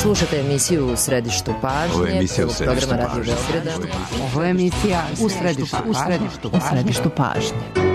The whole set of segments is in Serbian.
Slušate emisiju U središtu pažnje. Ovo je emisija U središtu programa Radio Beograda. Ovo je emisija U središtu pažnje.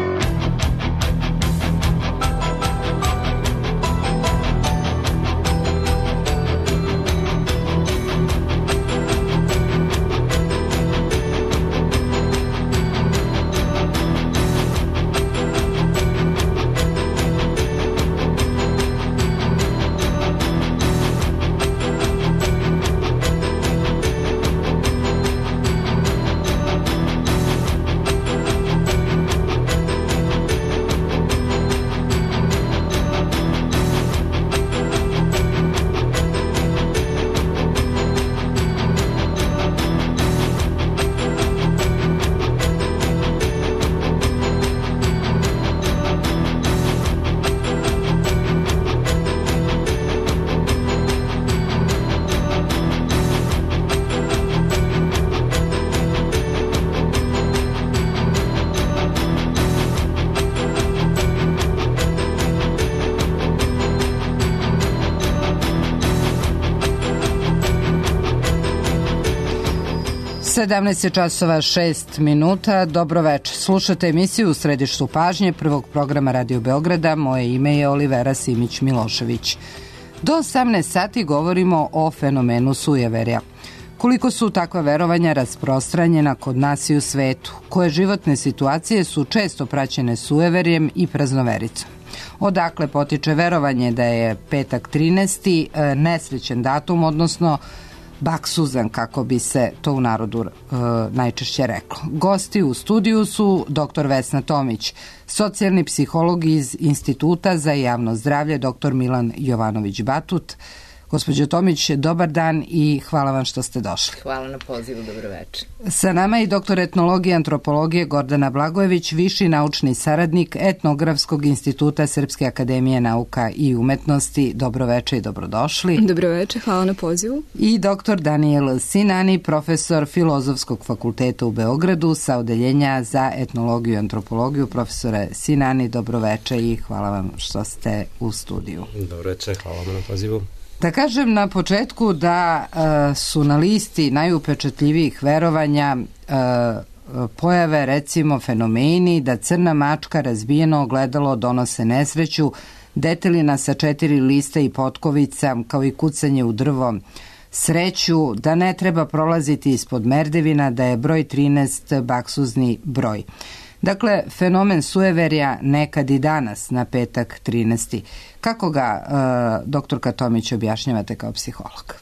(17:06). Dobroveče. Slušate emisiju U središtu pažnje prvog programa Radio Beograda. Moje ime je Olivera Simić-Milošević. Do 18 sati govorimo o fenomenu sujeverja. Koliko su takva verovanja rasprostranjena kod nas i u svetu? Koje životne situacije su često praćene sujeverjem i praznovericom? Odakle potiče verovanje da je petak 13. nesrećen datum, odnosno baksuzan, kako bi se to u narodu najčešće reklo. Gosti u studiju su dr. Vesna Tomić, socijalni psiholog iz Instituta za javno zdravlje, dr. Milan Jovanović-Batut. Gospođo Tomić, dobar dan i hvala vam što ste došli. Hvala na pozivu, dobroveče. Sa nama je doktor etnologije i antropologije Gordana Blagojević, viši naučni saradnik Etnografskog instituta Srpske akademije nauka i umetnosti. Dobroveče i dobrodošli. Dobroveče, hvala na pozivu. I doktor Daniel Sinani, profesor Filozofskog fakulteta u Beogradu sa odeljenja za etnologiju i antropologiju. Profesore Sinani, dobroveče i hvala vam što ste u studiju. Dobroveče, hvala vam na pozivu. Da kažem na početku da su na listi najupečatljivijih verovanja pojave, recimo, fenomeni da crna mačka, razbijeno ogledalo donose nesreću, detelina sa 4 lista i potkovica, kao i kucanje u drvo, sreću, da ne treba prolaziti ispod merdevina, da je broj 13 baksuzni broj. Dakle, fenomen sujeverja nekad i danas na petak 13. Kako ga, doktorka Tomić, objašnjavate kao psiholog?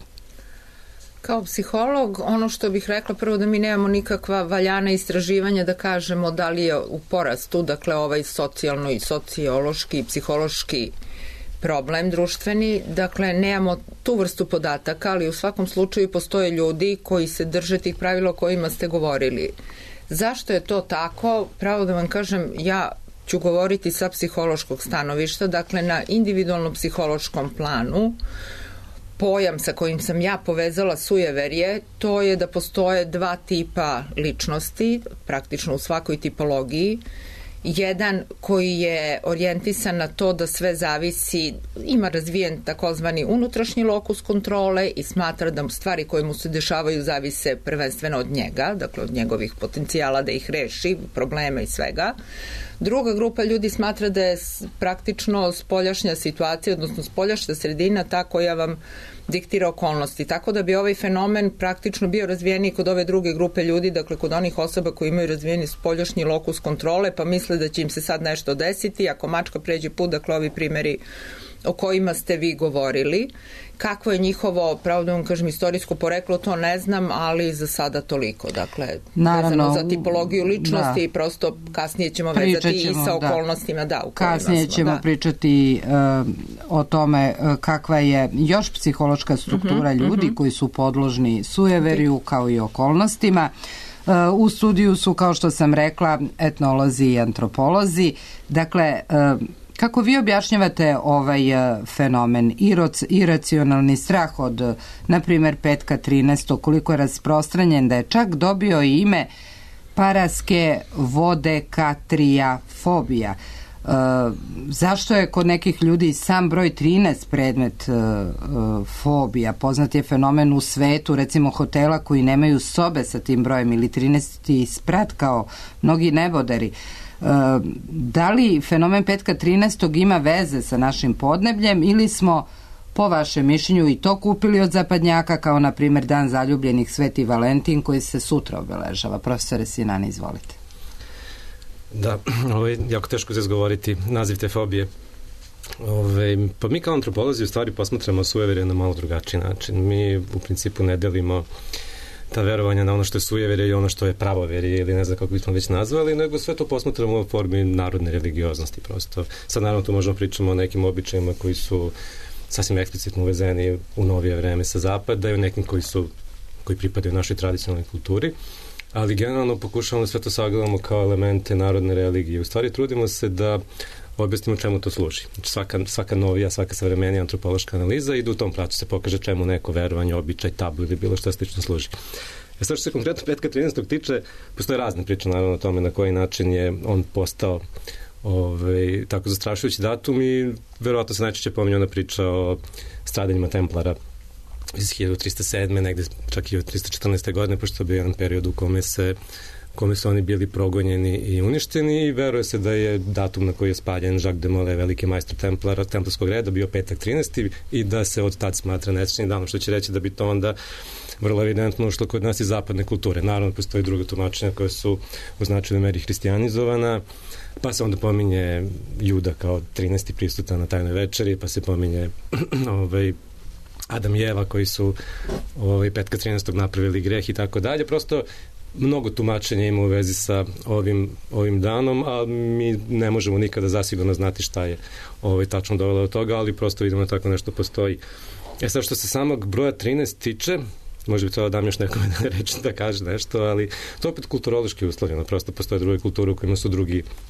Kao psiholog, ono što bih rekla prvo da mi nemamo nikakva valjana istraživanja da kažemo da li je u porastu, dakle ovaj socijalno i sociološki i psihološki problem društveni, dakle nemamo tu vrstu podataka, ali u svakom slučaju postoje ljudi koji se drže tih pravila o kojima ste govorili. Zašto je to tako? Pravo da vam kažem, ja ću govoriti sa psihološkog stanovišta, dakle na individualnom psihološkom planu. Pojam sa kojim sam ja povezala sujeverje, to je da postoje dva tipa ličnosti, praktično u svakoj tipologiji. Jedan koji je orijentisan na to da sve zavisi, ima razvijen takozvani unutrašnji lokus kontrole i smatra da stvari koje mu se dešavaju zavise prvenstveno od njega, dakle od njegovih potencijala da ih reši, problema i svega. Druga grupa ljudi smatra da je praktično spoljašnja situacija, odnosno spoljašnja sredina ta koja vam diktira okolnosti. Tako da bi ovaj fenomen praktično bio razvijeniji kod ove druge grupe ljudi, dakle kod onih osoba koji imaju razvijeni spoljašnji lokus kontrole, pa misle da će im se sad nešto desiti. Ako mačka pređe put, dakle ovi primjeri o kojima ste vi govorili. Kakvo je njihovo, pravo da vam kažem, istorijsko poreklo, to ne znam, ali za sada toliko. Dakle, vezano za tipologiju ličnosti i prosto kasnije ćemo vezati i sa okolnostima. Da, kasnije ćemo pričati o tome kakva je još psihološka struktura ljudi koji su podložni sujeverju kao i okolnostima. U studiju su, kao što sam rekla, etnolozi i antropolozi. Dakle, kako vi objašnjavate ovaj fenomen, iracionalni strah od, na primjer, petka 13. koliko je rasprostranjen da je čak dobio ime paraske vodekatriafobija. Zašto je kod nekih ljudi sam broj 13 predmet fobija? Poznat je fenomen u svetu, recimo hotela koji nemaju sobe sa tim brojem ili 13. sprat kao mnogi neboderi. Da li fenomen petka 13. ima veze sa našim podnebljem ili smo po vašem mišljenju i to kupili od zapadnjaka, kao na primjer Dan zaljubljenih Sveti Valentin koji se sutra obeležava? Profesore Sinani, izvolite. Da, ovo je jako teško se izgovoriti naziv te fobije. Pa mi kao antropolozi u stvari posmatramo sujeverje na malo drugačiji način. Mi u principu ne delimo ta verovanja na ono što je sujeverje i ono što je pravoverje ili ne znam kako bismo već nazvali, nego sve to posmatramo u formi narodne religioznosti prosto. Sad naravno tu možemo pričamo o nekim običajima koji su sasvim eksplicitno uvezeni u novije vreme sa zapada i o nekim koji pripadaju našoj tradicionalnoj kulturi, ali generalno pokušavamo sve to sagledamo kao elemente narodne religije. U stvari trudimo se da objasnimo čemu to služi. Znači svaka novija, svaka savremenija antropološka analiza ide u tom pravcu, se pokaže čemu neko verovanje, običaj, tabu ili bilo što slično služi. Sad što se konkretno petka 13. tiče, postoje razne priče naravno o tome na koji način je on postao tako zastrašujući datum i verovatno se najčešće pominje ona priča o stradanjima Templara iz 1307. negde čak i od 314. godine, pošto je bio jedan period u kome su oni bili progonjeni i uništeni i veruje se da je datum na koji je spaljen Jacques de Molay, veliki majstor templarskog reda, bio petak 13. i da se od tad smatra nesrećnim danom, što će reći da bi to onda vrlo evidentno ušlo kod nas iz zapadne kulture. Naravno, postoji druga tumačenja koja su u značajnoj meri hristijanizovana, pa se onda pominje Juda kao 13. prisutan na tajnoj večeri, pa se pominje Adam i Eva koji su petka 13. napravili greh i tako dalje. Prosto mnogo tumačenja ima u vezi sa ovim danom, a mi ne možemo nikada zasigurno znati šta je tačno dovelo do toga, ali prosto vidimo da tako nešto postoji. Sad što se samog broja 13 tiče, možda bi to dam još nekome reći da kaže nešto, ali to opet kulturološki uslovljeno, prosto postoje druge kulture u kojima su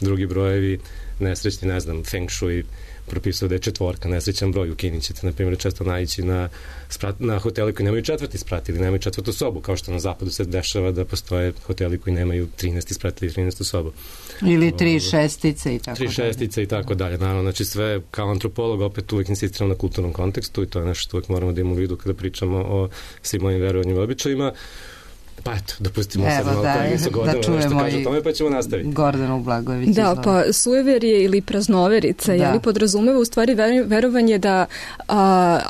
drugi brojevi nesrećni, ne znam, Feng Shui propisao da je 4, nesrećan broj. U Kini ćete, na primjer, često naići na hoteli koji nemaju 4. sprat ili nemaju 4. sobu, kao što na zapadu se dešava da postoje hoteli koji nemaju 13. sprat ili 13. sobu. Ili 3 šestice i tako dalje. 3 šestice i tako dalje. Naravno, znači sve kao antropolog opet uvijek insistiram na kulturnom kontekstu i to je nešto što uvijek moramo da imamo u vidu kada pričamo o svim ovim verovanjima i običajima. Pa eto, dopustimo sad malo koleginicu Gordanu nešto kaže o tome, pa ćemo nastaviti. Gordanu Blagojević. Da, pa sujeverje ili praznoverica, jeli podrazumeva u stvari verovanje da,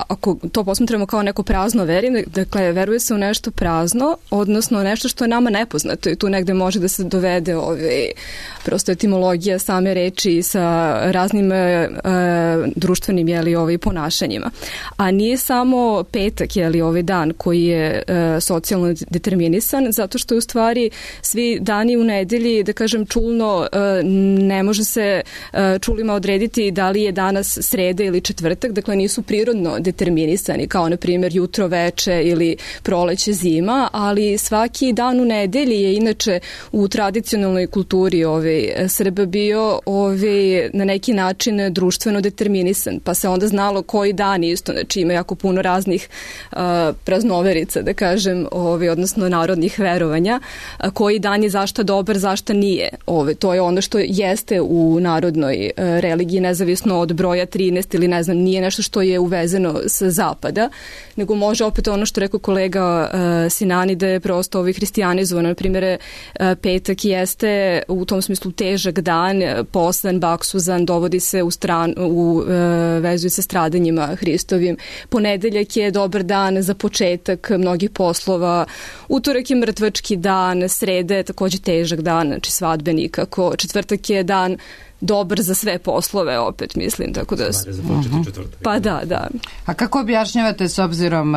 ako to posmatramo kao neko prazno verje, dakle, veruje se u nešto prazno, odnosno nešto što je nama nepoznato i tu negde može da se dovede prosto etimologija same reči sa raznim društvenim, ponašanjima. A nije samo petak, ovaj dan koji je socijalno determinisan, zato što je u stvari svi dani u nedelji, da kažem čulno, ne može se čulima odrediti da li je danas sreda ili četvrtak, dakle nisu prirodno determinisani, kao na primjer jutro, veče ili proleće, zima, ali svaki dan u nedelji je inače u tradicionalnoj kulturi Srba bio na neki način društveno determinisan, pa se onda znalo koji dan isto, znači ima jako puno raznih praznoverica, da kažem, odnosno narodnih verovanja, koji dan je zašta dobar, zašta nije. To je ono što jeste u narodnoj religiji, nezavisno od broja 13 ili ne znam, nije nešto što je uvezeno sa zapada, nego može opet ono što rekao kolega Sinani, da je prosto hristijanizovano. Na primjer, petak jeste u tom smislu težak dan, poslan, baksuzan, dovodi se u vezu sa stradanjima Hristovim. Ponedeljak je dobar dan za početak mnogih poslova, utorak je mrtvački dan, sreda je takođe težak dan, znači svadbeni, kako četvrtak je dan dobar za sve poslove, opet mislim, tako da... Pa da. A kako objašnjavate, s obzirom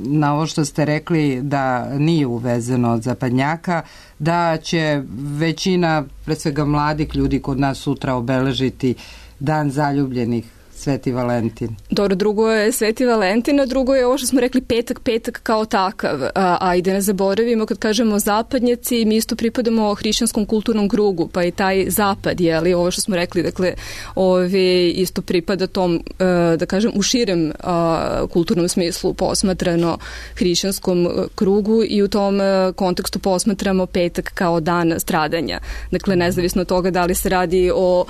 na ovo što ste rekli da nije uvezeno od zapadnjaka, da će većina, pre svega mladih ljudi kod nas sutra obeležiti Dan zaljubljenih Sveti Valentin. Dobro, drugo je Sveti Valentin, a drugo je ovo što smo rekli petak kao takav. A i da ne zaboravimo, kad kažemo zapadnjaci, mi isto pripadamo hrišćanskom kulturnom krugu, pa i taj zapad, jeli, ovo što smo rekli, dakle, isto pripada tom, da kažem, u širem kulturnom smislu posmatrano hrišćanskom krugu i u tom kontekstu posmatramo petak kao dan stradanja. Dakle, nezavisno od toga da li se radi o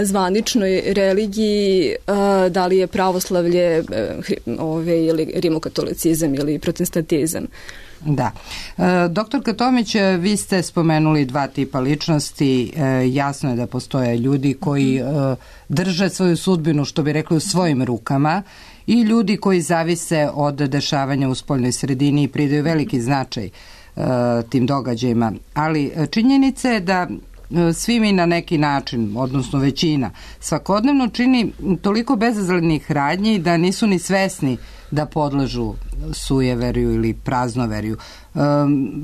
zvaničnoj religiji, da li je pravoslavlje ili rimokatolicizam ili protestantizam. Da. Doktorka Tomić, vi ste spomenuli dva tipa ličnosti. Jasno je da postoje ljudi koji drže svoju sudbinu, što bi rekli, u svojim rukama, i ljudi koji zavise od dešavanja u spoljnoj sredini i pridaju veliki značaj tim događajima. Ali činjenica je da svi mi na neki način, odnosno većina, svakodnevno čini toliko bezazlenih radnji da nisu ni svesni da podležu sujeverju ili praznoverju.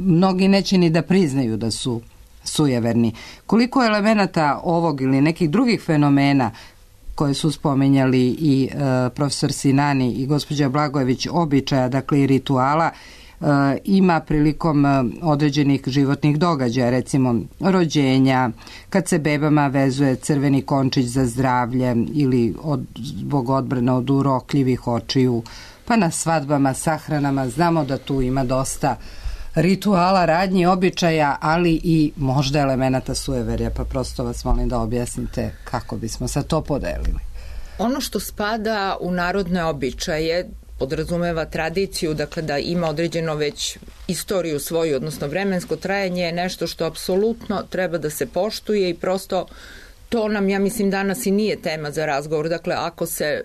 Mnogi neće ni da priznaju da su sujeverni. Koliko elemenata ovog ili nekih drugih fenomena koje su spomenjali i profesor Sinani i gospođa Blagojević, običaja, dakle i rituala, ima prilikom određenih životnih događaja, recimo rođenja, kad se bebama vezuje crveni končić za zdravlje ili zbog odbrane od urokljivih očiju, pa na svadbama, sahranama. Znamo da tu ima dosta rituala, radnji, običaja, ali i možda elemenata sujeverja, pa prosto vas molim da objasnite kako bismo sad to podelili. Ono što spada u narodne običaje podrazumeva tradiciju, dakle da ima određeno već istoriju svoju, odnosno vremensko trajanje, je nešto što apsolutno treba da se poštuje i prosto to nam, ja mislim, danas i nije tema za razgovor. Dakle, ako se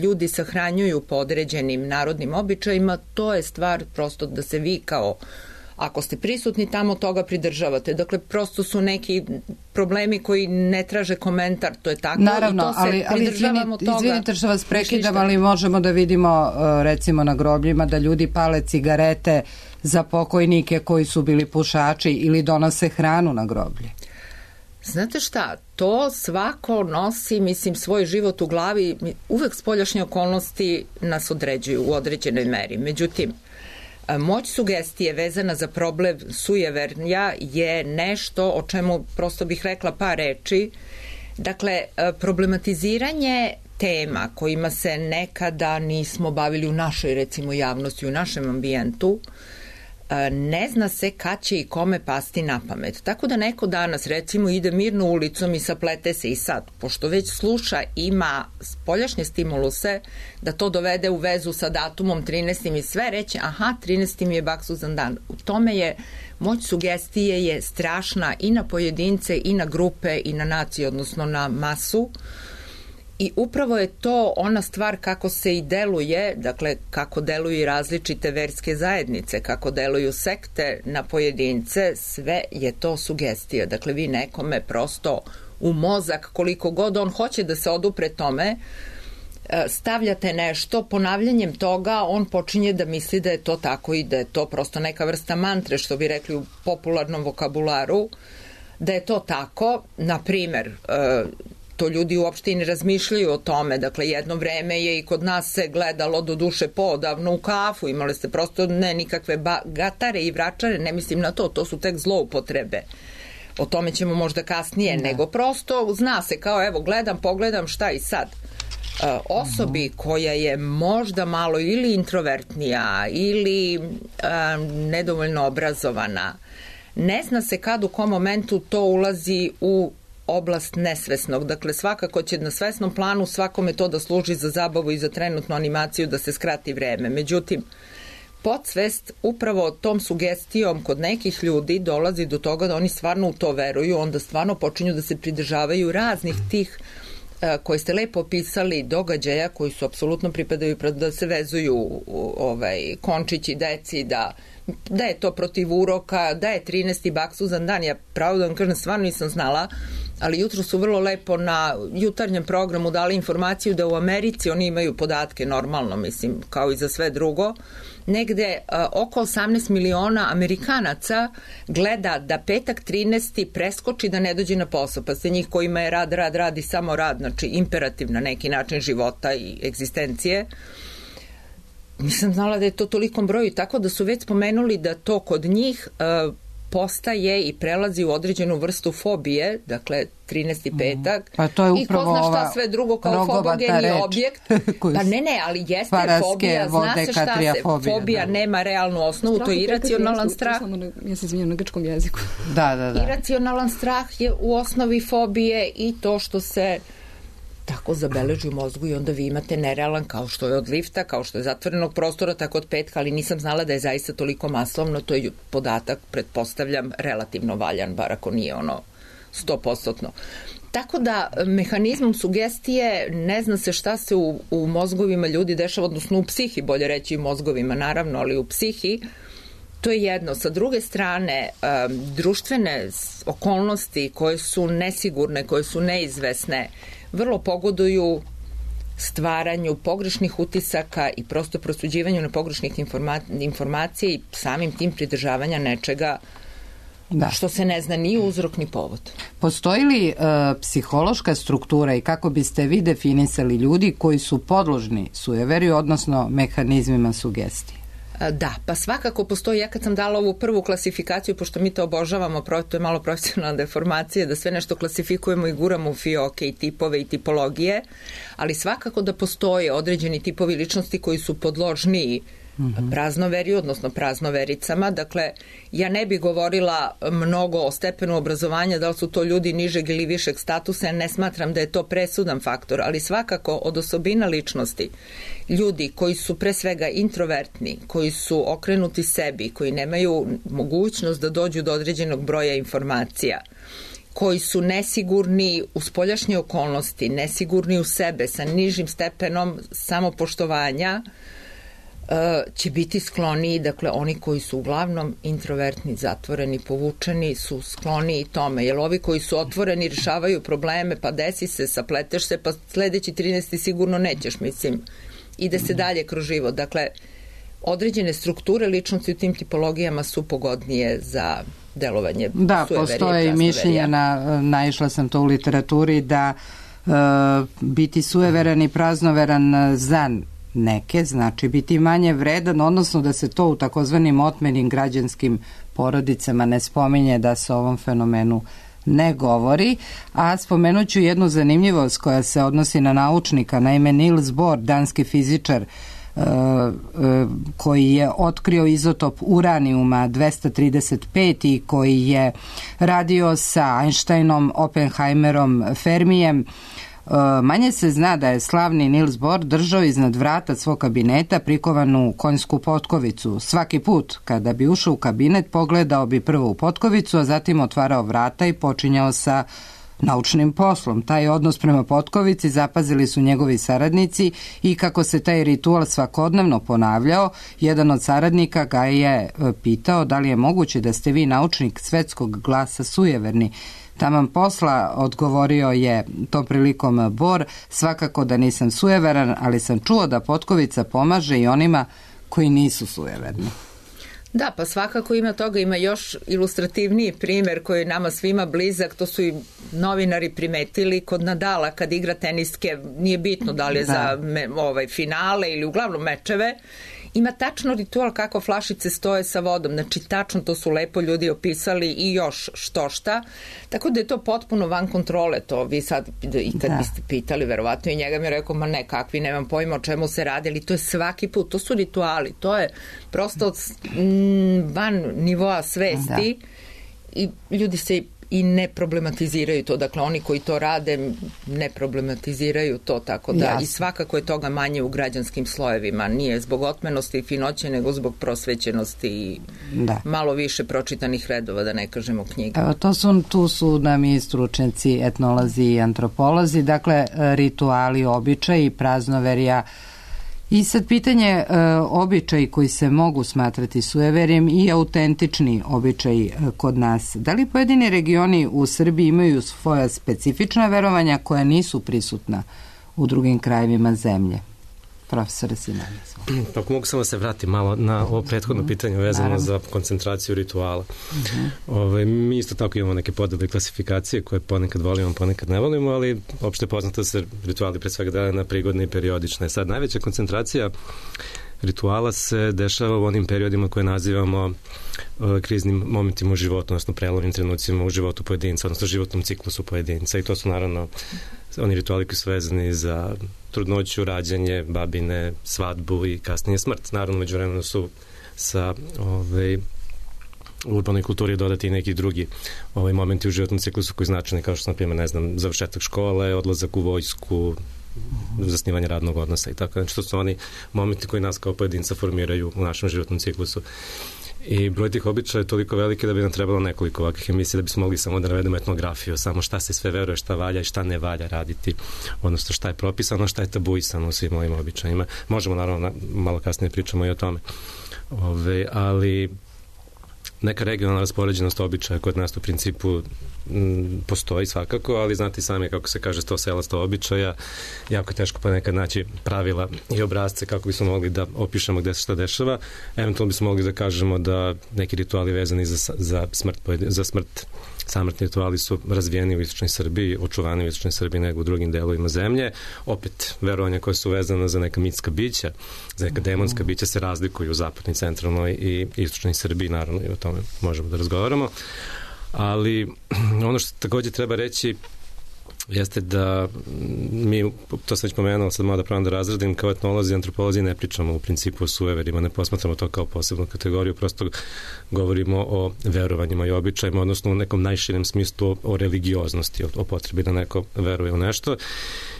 ljudi sahranjuju po određenim narodnim običajima, to je stvar prosto da se vi kao, ako ste prisutni tamo, toga pridržavate. Dakle, prosto su neki problemi koji ne traže komentar, to je tako. Naravno, i to se pridržavamo toga. Izvinite što vas prekidam, ali možemo da vidimo recimo na grobljima da ljudi pale cigarete za pokojnike koji su bili pušači ili donose hranu na groblje. Znate šta, to svako nosi, mislim, svoj život u glavi, uvek spoljašnje okolnosti nas određuju u određenoj meri. Međutim, moć sugestije vezana za problem sujeverja je nešto o čemu prosto bih rekla par reči. Dakle, problematiziranje tema kojima se nekada nismo bavili u našoj, recimo, javnosti, u našem ambijentu, ne zna se kad će i kome pasti na pamet. Tako da neko danas, recimo, ide mirno ulicom i saplete se i sad, pošto već sluša, ima spoljašnje stimuluse, da to dovede u vezu sa datumom 13. i sve reći, aha, 13. mi je baksuzan dan. U tome je, moć sugestije je strašna i na pojedince, i na grupe, i na nacije, odnosno na masu. I upravo je to ona stvar kako se i deluje, dakle kako deluju i različite verske zajednice, kako deluju sekte na pojedince, sve je to sugestija. Dakle, vi nekome prosto u mozak, koliko god on hoće da se odupre tome, stavljate nešto, ponavljanjem toga on počinje da misli da je to tako i da je to prosto neka vrsta mantre, što bi rekli u popularnom vokabularu, da je to tako. Na primer, to ljudi uopšte i ne razmišljaju o tome. Dakle, jedno vreme je i kod nas se gledalo do duše poodavno u kafu. Imali ste prosto ne nikakve gatare i vračare, ne mislim na to, to su tek zloupotrebe. O tome ćemo možda kasnije, nego prosto zna se kao evo pogledam šta i sad. Osobi koja je možda malo ili introvertnija ili nedovoljno obrazovana, ne zna se kad u kom momentu to ulazi u oblast nesvesnog. Dakle, svakako će na svesnom planu svakome to da služi za zabavu i za trenutnu animaciju da se skrati vreme. Međutim, podsvest upravo tom sugestijom kod nekih ljudi dolazi do toga da oni stvarno u to veruju, onda stvarno počinju da se pridržavaju raznih tih koje ste lepo opisali događaja koji su apsolutno pripadaju da se vezuju končići deci, da je to protiv uroka, da je 13. baksuzan dan. Ja pravo da vam kažem, stvarno nisam znala, ali jutro su vrlo lepo na jutarnjem programu dali informaciju da u Americi oni imaju podatke normalno, mislim, kao i za sve drugo, negde oko 18 miliona Amerikanaca gleda da petak 13. preskoči da ne dođe na posao, pa se njih kojima je rad i samo rad, znači imperativ na neki način života i egzistencije. Nisam znala da je to tolikom broju, tako da su već spomenuli da to kod njih postaje i prelazi u određenu vrstu fobije, dakle 13. petak, pa to je i ko zna šta sve drugo kao fobogeni objekt. Pa ne, ali jeste fobija, zna se šta se, fobija nema realnu osnovu, to je iracionalan strah. Ja se izvinjam na grčkom jeziku. Da. Iracionalan strah je u osnovi fobije i to što se tako zabeleži u mozgu i onda vi imate nerealan, kao što je od lifta, kao što je zatvorenog prostora, tako od petka, ali nisam znala da je zaista toliko masovno, to je podatak, pretpostavljam, relativno valjan, bar ako nije 100%. Tako da mehanizmom sugestije ne zna se šta se u mozgovima ljudi dešava, odnosno u psihi, bolje reći u mozgovima naravno, ali u psihi. To je jedno. Sa druge strane, društvene okolnosti koje su nesigurne, koje su neizvesne, vrlo pogoduju stvaranju pogrešnih utisaka i prosto prosuđivanju na pogrešnih informacija i samim tim pridržavanja nečega što se ne zna ni uzrok ni povod. Postoji li psihološka struktura i kako biste vi definisali ljudi koji su podložni sujeveriju, odnosno mehanizmima sugestije? Da, pa svakako postoji, ja kad sam dala ovu prvu klasifikaciju, pošto mi to obožavamo, to je malo profesionalna deformacija, da sve nešto klasifikujemo i guramo u fioke i tipove i tipologije, ali svakako da postoje određeni tipovi ličnosti koji su podložniji praznoveriju, odnosno praznovericama. Dakle, ja ne bih govorila mnogo o stepenu obrazovanja, da li su to ljudi nižeg ili višeg statusa, ja ne smatram da je to presudan faktor, ali svakako od osobina ličnosti, ljudi koji su pre svega introvertni, koji su okrenuti sebi, koji nemaju mogućnost da dođu do određenog broja informacija, koji su nesigurni u spoljašnje okolnosti, nesigurni u sebe, sa nižim stepenom samopoštovanja, će biti skloniji, dakle oni koji su uglavnom introvertni, zatvoreni, povučeni su skloniji tome, jer ovi koji su otvoreni rješavaju probleme, pa desi se, sapleteš se, pa sledeći 13. sigurno nećeš, mislim, ide se dalje kroz život. Dakle, određene strukture ličnosti u tim tipologijama su pogodnije za delovanje sujeverije. Da, postoje i mišljenja, naišla sam to u literaturi, da biti sujeveran i praznoveran za neke, znači biti manje vredan, odnosno da se to u takozvanim otmenim građanskim porodicama ne spominje, da se o ovom fenomenu ne govori. A spomenut ću jednu zanimljivost koja se odnosi na naučnika. Naime, Niels Bohr, danski fizičar, koji je otkrio izotop uranijuma 235 i koji je radio sa Einsteinom, Oppenheimerom, Fermijem, manje se zna da je slavni Niels Bohr držao iznad vrata svog kabineta prikovanu konjsku potkovicu. Svaki put kada bi ušao u kabinet, pogledao bi prvo u potkovicu, a zatim otvarao vrata i počinjao sa naučnim poslom. Taj odnos prema potkovici zapazili su njegovi saradnici i kako se taj ritual svakodnevno ponavljao, jedan od saradnika ga je pitao da li je moguće da ste vi naučnik svetskog glasa sujeverni. Taman posla, odgovorio je tom prilikom Bohr, svakako da nisam sujeveran, ali sam čuo da potkovica pomaže i onima koji nisu sujeverni. Da, pa svakako ima toga, ima još ilustrativniji primjer koji je nama svima blizak, to su i novinari primetili kod Nadala kad igra teniske, nije bitno da li je za finale ili uglavnom mečeve, ima tačno ritual kako flašice stoje sa vodom, znači tačno to su lepo ljudi opisali i još što šta, tako da je to potpuno van kontrole, to vi sad i kad biste pitali, verovatno i njega mi je rekao, ma ne, kakvi, nemam pojma o čemu se radi, ali to je svaki put, to su rituali, to je prosto van nivoa svesti i ljudi se i ne problematiziraju to, dakle oni koji to rade ne problematiziraju to, tako da i svakako je toga manje u građanskim slojevima, nije zbog otmenosti i finoće, nego zbog prosvećenosti i malo više pročitanih redova, da ne kažemo knjiga. Evo, tu su nam i stručnjaci, etnolozi i antropolozi, dakle rituali, običaji, praznoverja I sad pitanje običaji koji se mogu smatrati sueverjem i autentični običaji kod nas. Da li pojedini regioni u Srbiji imaju svoja specifična verovanja koja nisu prisutna u drugim krajevima zemlje? Profesore Sinanić. Ako mogu samo se vratiti malo na ovo prethodno pitanje vezano za koncentraciju rituala. Mi isto tako imamo neke podele klasifikacije koje ponekad volimo, ponekad ne volimo, ali opšte poznato se rituali pre svega dele na prigodne i periodične. Sad, najveća koncentracija rituala se dešava u onim periodima koje nazivamo kriznim momentima u životu, odnosno prelomnim trenucima u životu pojedinca, odnosno životnom ciklusu pojedinca, i to su naravno oni rituali koji su vezani za trudnoću, rađanje, babine, svadbu i kasnije smrt. Naravno, međuvremeno su sa u urbanoj kulturi dodati i neki drugi momenti u životnom ciklusu koji značajni, kao što, na primjer, završetak škole, odlazak u vojsku, zasnivanje radnog odnosa i tako. Znači, to su oni momenti koji nas kao pojedinca formiraju u našem životnom ciklusu. I broj tih običaja je toliko veliki da bi nam trebalo nekoliko ovakvih emisija da bismo mogli samo da navedemo etnografiju, samo šta se sve veruje, šta valja i šta ne valja raditi, odnosno šta je propisano, šta je tabuisano u svim ovim običajima. Možemo, naravno, malo kasnije pričamo i o tome. Ali neka regionalna raspoređenost običaja kod nas u principu postoji svakako, ali znate sami kako se kaže 100 sela 100 običaja, jako je teško ponekad naći pravila i obrazce kako bismo mogli da opišemo gde se šta dešava. Eventualno bismo mogli da kažemo da neki rituali vezani za smrt, samrtni rituali su razvijeni u istočnoj Srbiji, očuvani u istočnoj Srbiji nego u drugim delovima zemlje. Opet, verovanja koje su vezane za neka mitska bića, za neka demonska bića se razlikuju u zapadnoj, centralnoj i istočnoj Srbiji, naravno, i o tome možemo da razgovaramo. Ali ono što takođe treba reći jeste da mi, to sam već pomenuo, sad malo da pravim da razradim, kao etnolozi i antropolozi ne pričamo u principu o sueverima, ne posmatramo to kao posebnu kategoriju, prosto govorimo o verovanjima i običajima, odnosno u nekom najširem smislu o religioznosti, o potrebi da neko veruje u nešto.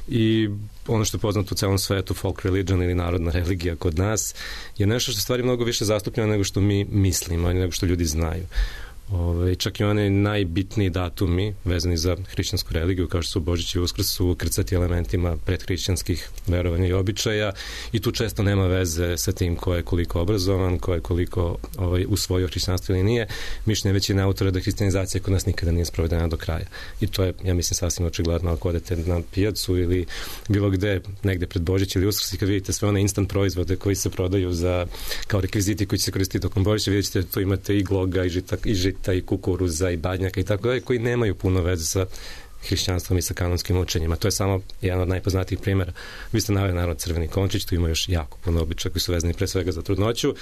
I ono što je poznato u celom svetu, folk religion ili narodna religija kod nas, je nešto što stvari mnogo više zastupljeno nego što mi mislimo, nego što ljudi znaju. Čak i one najbitniji datumi vezani za hrišćansku religiju, kao što su Božić i Uskrs, su krcati elementima predhrišćanskih verovanja i običaja, i tu često nema veze sa tim ko je koliko obrazovan, ko je koliko usvojio hrišćanstvo ili nije. Mišljenje većine autora da hrišćanizacija kod nas nikada nije sprovedena do kraja. I to je, ja mislim, sasvim očigledno ako odete na pijacu ili bilo gde, negde pred Božić ili Uskrs, i kad vidite sve one instant proizvode koji se prodaju kao rekviziti koji će se koristiti tokom Božića, vidjet ćete da tu imate i gloga, i žita, i kukuruza, i badnjaka i tako dalje, koji nemaju puno veze sa hrišćanstvom i sa kanonskim učenjima. To je samo jedan od najpoznatijih primjera. Vi ste naveli, naravno, crveni končić, tu ima još jako puno običaja koji su vezani pre svega za trudnoću,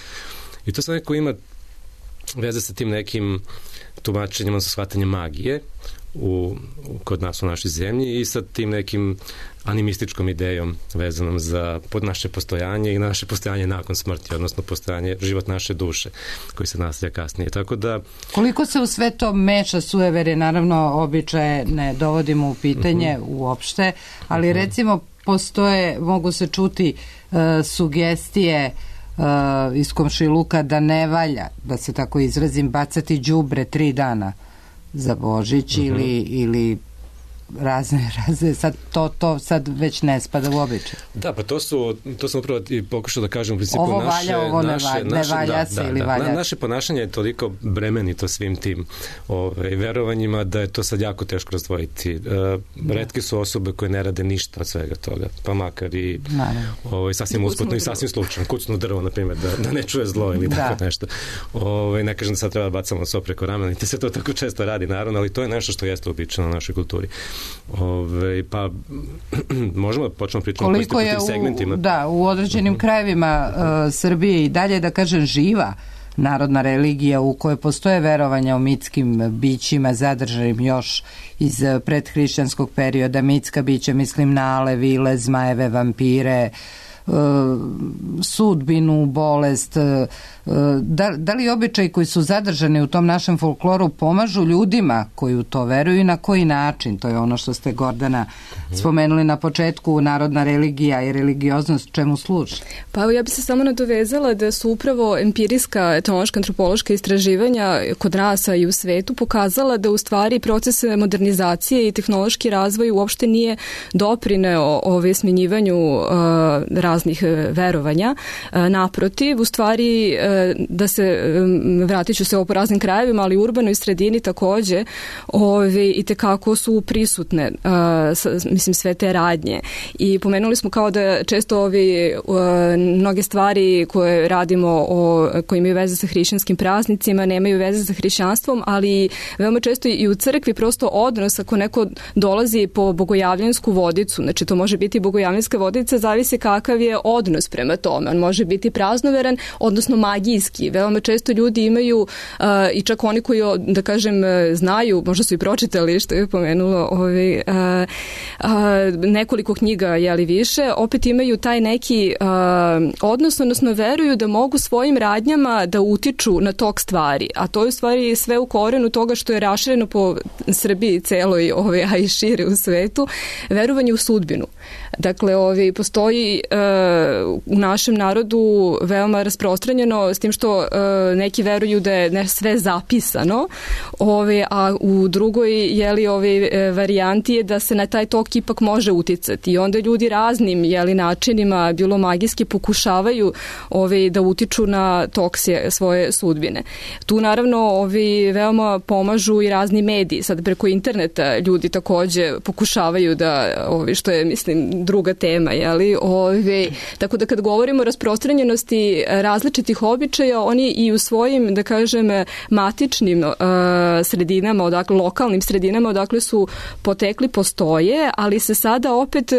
i to sad neko ima veze sa tim nekim tumačenjima, sa shvatanjem magije kod nas u našoj zemlji i sa tim nekim animističkom idejom vezanom za naše postojanje i naše postojanje nakon smrti, odnosno postojanje, život naše duše koji se nastavlja kasnije. Tako da... Koliko se u sve to meša sueverje, naravno običaje ne dovodimo u pitanje uopšte, ali recimo mogu se čuti sugestije iz komšiluka da ne valja, da se tako izrazim, bacati đubre 3 dana za Božić ili razne, sad to sad već ne spada u običaj. Da, pa to sam upravo i pokušao da kažem u principu ovo valja, ovo ne valja se ili valja. Naše ponašanje je toliko bremenito svim tim verovanjima da je to sad jako teško razdvojiti. Retke su osobe koje ne rade ništa od svega toga, pa makar i sasvim usputno i sasvim slučajno. Kucnu drvo, na primjer, da ne čuje zlo ili tako nešto. Ne kažem da sad treba da bacamo so preko ramena, niti se to tako često radi, naravno, ali to je nešto što jeste uobičajeno u našoj kulturi. Pa možemo da počnemo pričati koliko po tim segmentima. U određenim krajevima Srbije i dalje, da kažem, živa narodna religija u kojoj postoje verovanja o mitskim bićima zadržanim još iz predhrišćanskog perioda. Mitska bića, mislim na ale, vile, zmajeve, vampire, sudbinu, bolest. Da li običaji koji su zadržani u tom našem folkloru pomažu ljudima koji u to veruju i na koji način? To je ono što ste, Gordana, spomenuli na početku, narodna religija i religioznost čemu služi? Pa ja bih se samo nadovezala da su upravo empirijska, etnološka, antropološka istraživanja kod nas i u svetu pokazala da u stvari proces modernizacije i tehnološki razvoj uopšte nije doprineo smenjivanju različitih praznih verovanja. Naprotiv, u stvari da se, vratit ću se ovo po raznim krajevima, ali u urbanoj sredini takođe i tekako su prisutne mislim sve te radnje. I pomenuli smo kao da često mnoge stvari koje radimo koje imaju veze sa hrišćanskim praznicima nemaju veze sa hrišćanstvom, ali veoma često i u crkvi prosto odnos ako neko dolazi po bogojavljansku vodicu, znači to može biti bogojavljanska vodica, zavisi kakav je odnos prema tome. On može biti praznoveran, odnosno magijski. Veoma često ljudi imaju i čak oni koji, da kažem, znaju, možda su i pročitali što je pomenulo nekoliko knjiga, jeli više, opet imaju taj neki odnos, odnosno veruju da mogu svojim radnjama da utiču na tok stvari, a to je u stvari sve u korenu toga što je rašireno po Srbiji celoj, a i šire u svetu, verovanje u sudbinu. Dakle, postoji u našem narodu veoma rasprostranjeno, s tim što neki veruju da je sve zapisano, a u drugoj varijanti je da se na taj tok ipak može uticati. I onda ljudi raznim načinima, bilo magijski, pokušavaju da utiču na tok svoje sudbine. Tu naravno veoma pomažu i razni mediji. Sad preko interneta ljudi takođe pokušavaju da, što je, mislim, druga tema, tako da kad govorimo o rasprostranjenosti različitih običaja, oni i u svojim, da kažem, matičnim sredinama, odakle, lokalnim sredinama, odakle su potekli, postoje, ali se sada opet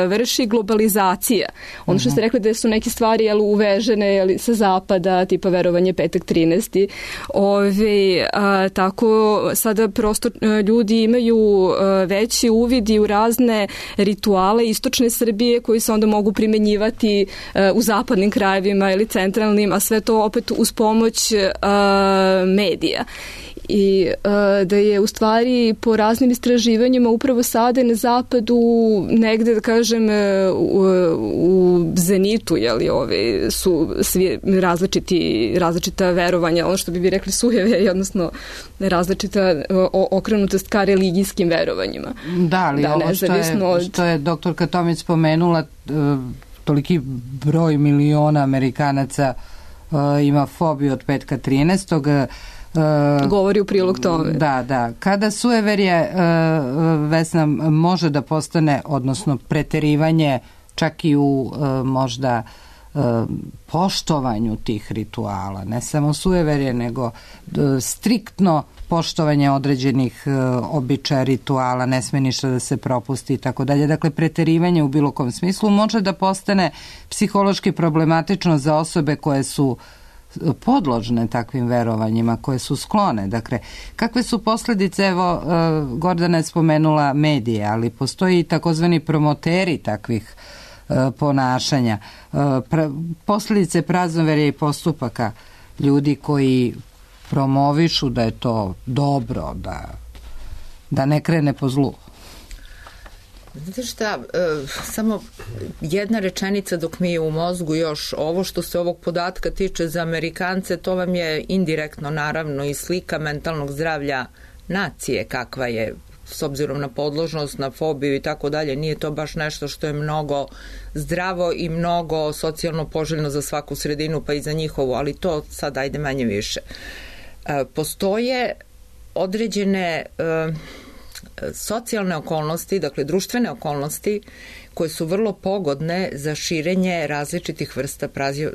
vrši globalizacija. Ono što ste rekli da su neke stvari uvežene sa zapada, tipa verovanje petak 13. Tako sada prosto ljudi imaju veći uvid i u razne rituale istočne Srbije koji se onda mogu primenjivati u zapadnim krajevima ili centralnim, a sve to opet uz pomoć medija. I da je u stvari po raznim istraživanjima upravo sada na zapadu negde, da kažem, u zenitu, su svi različita verovanja, ono što bi rekli sujeve, odnosno različita okrenutost ka religijskim verovanjima. Da, ali ovo što je doktorka Tomić spomenula, toliki broj miliona Amerikanaca ima fobiju od petka 13. Govori u prilog tome. Da. Kada sujeverje, Vesna, može da postane, odnosno preterivanje čak i u možda poštovanju tih rituala, ne samo sujeverje, nego striktno poštovanje određenih običaja, rituala, ne sme ništa da se propusti i tako dalje. Dakle, preterivanje u bilo kom smislu može da postane psihološki problematično za osobe koje su podložne takvim verovanjima, koje su sklone. Dakle, kakve su posledice, evo, Gordana je spomenula medije, ali postoji i takozvani promoteri takvih ponašanja. Posledice praznoverja i postupaka ljudi koji promovišu da je to dobro, da ne krene po zlu. Znate šta, samo jedna rečenica dok mi je u mozgu još ovo što se ovog podatka tiče za Amerikance, to vam je indirektno naravno i slika mentalnog zdravlja nacije kakva je s obzirom na podložnost, na fobiju i tako dalje. Nije to baš nešto što je mnogo zdravo i mnogo socijalno poželjno za svaku sredinu pa i za njihovu, ali to sad ajde manje više. Postoje određene socijalne okolnosti, dakle društvene okolnosti koje su vrlo pogodne za širenje različitih vrsta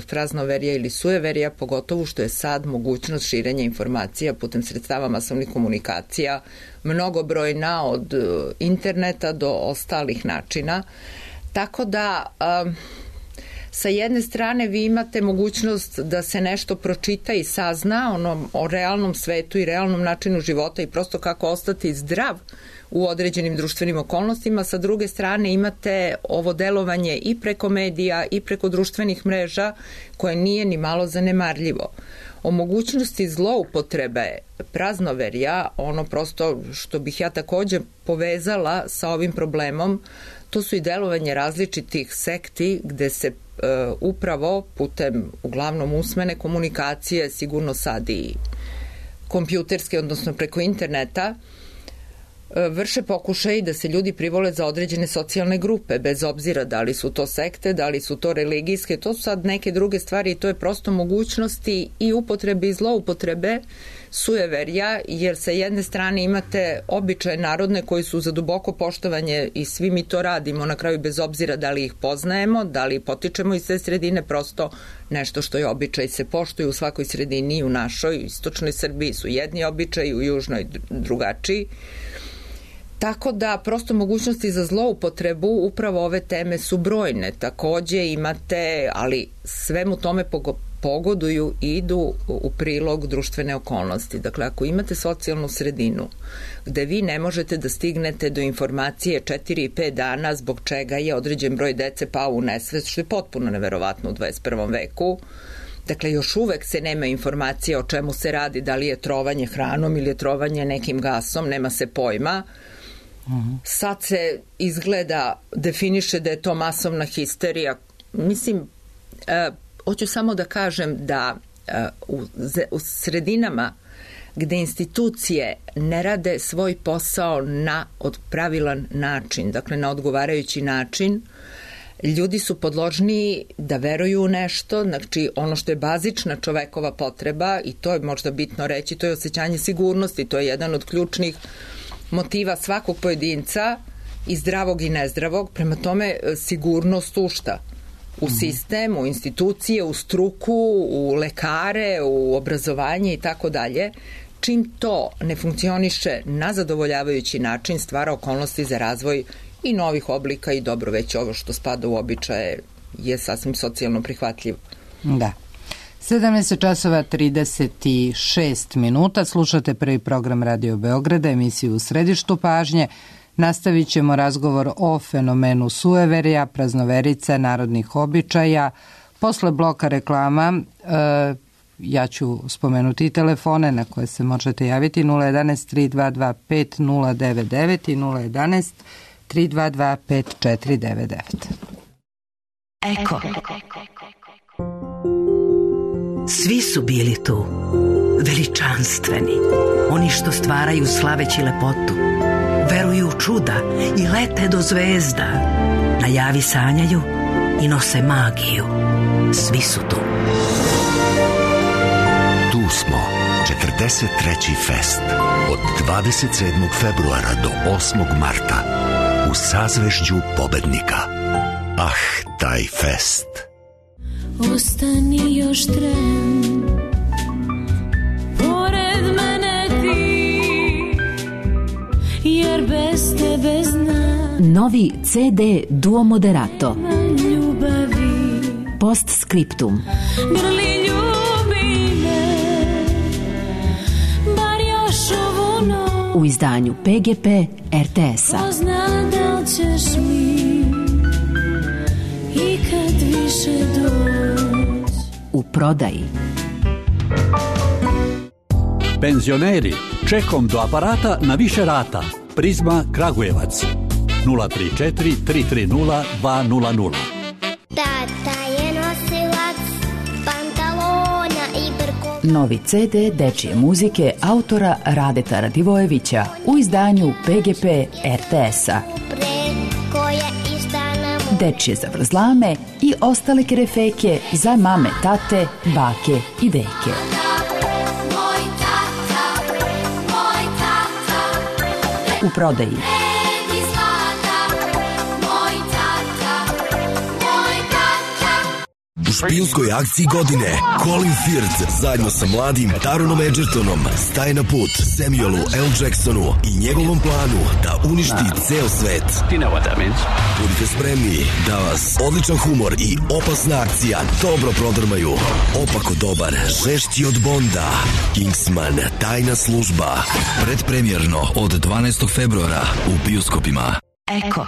praznoverja ili sujeverja, pogotovo što je sad mogućnost širenja informacija putem sredstava masovnih komunikacija mnogobrojna od interneta do ostalih načina. Tako da sa jedne strane vi imate mogućnost da se nešto pročita i sazna o realnom svetu i realnom načinu života i prosto kako ostati zdrav u određenim društvenim okolnostima. Sa druge strane imate ovo delovanje i preko medija i preko društvenih mreža koje nije ni malo zanemarljivo. O mogućnosti zloupotrebe praznoverja, ono prosto što bih ja takođe povezala sa ovim problemom, to su i delovanje različitih sekti gde se upravo putem uglavnom usmene komunikacije, sigurno sad i kompjuterske, odnosno preko interneta, vrše pokušaj da se ljudi privole za određene socijalne grupe, bez obzira da li su to sekte, da li su to religijske, to su sad neke druge stvari i to je prosto mogućnosti i upotrebe i zloupotrebe sujeverja, jer sa jedne strane imate običaje narodne koji su za duboko poštovanje i svi mi to radimo na kraju bez obzira da li ih poznajemo, da li potičemo iz te sredine, prosto nešto što je običaj se poštuje u svakoj sredini, u našoj, u istočnoj Srbiji su jedni običaji, u južnoj drugačiji. Tako da prosto mogućnosti za zloupotrebu upravo ove teme su brojne. Takođe imate, ali svemu tome pogoduju i idu u prilog društvene okolnosti. Dakle, ako imate socijalnu sredinu gde vi ne možete da stignete do informacije 4 i 5 dana zbog čega je određen broj dece pao u nesvest, što je potpuno neverovatno u 21. veku, dakle, još uvek se nema informacije o čemu se radi, da li je trovanje hranom ili je trovanje nekim gasom, nema se pojma. Sad se izgleda, definiše da je to masovna histerija. Mislim, hoću samo da kažem da u sredinama gde institucije ne rade svoj posao na pravilan način, dakle na odgovarajući način, ljudi su podložniji da veruju u nešto, znači ono što je bazična čovekova potreba, i to je možda bitno reći, to je osjećanje sigurnosti, to je jedan od ključnih motiva svakog pojedinca, i zdravog i nezdravog. Prema tome, sigurnost ušta u sistem, u institucije, u struku, u lekare, u obrazovanje i tako dalje. Čim to ne funkcioniše na zadovoljavajući način, stvara okolnosti za razvoj i novih oblika i dobro, već ovo što spada u običaje je sasvim socijalno prihvatljivo. Da. 17 časova 36 minuta, slušate prvi program Radio Beograda, emisiju U središtu pažnje. Nastavit ćemo razgovor o fenomenu sueverja, praznoverica, narodnih običaja. Posle bloka reklama ja ću spomenuti i telefone na koje se možete javiti, 011 322 5099 i 011 322 5499. Eko. Svi su bili tu, veličanstveni, oni što stvaraju slaveći lepotu, veruju u čuda i lete do zvezda, najavi sanjaju i nose magiju. Svi su tu. Tu smo, 43. fest, od 27. februara do 8. marta, u sazvežđu pobednika. Ah, taj fest! Ostani još tren, pored mene ti, jer bez tebe znam. Novi CD Duo Moderato. Ljubavi. Postscriptum. Grli ljubi me, bar još ovu noć. U izdanju PGP RTS-a. Ko zna da li ćeš mi ikad više doći. U prodaji. Penzioneri, čekom do aparata na više rata. Prizma Kragujevac 034 330 200. Tata je nosilac pantalona i brko. Novi CD dečije muzike autora Radeta Radivojevića u izdanju PGP RTS-a. Dečije zavrzlame i ostale kerefeke za mame, tate, bake i deke. U prodaji. U špijunskoj akciji godine Colin Firth zajedno sa mladim Taronom Edgertonom staje na put Samuelu L. Jacksonu i njegovom planu da uništi ceo svet. Budite spremni da vas odličan humor i opasna akcija dobro prodrmaju. Opako dobar, žešći od Bonda. Kingsman, tajna služba. Predpremjerno od 12. februara u bioskopima. Eko.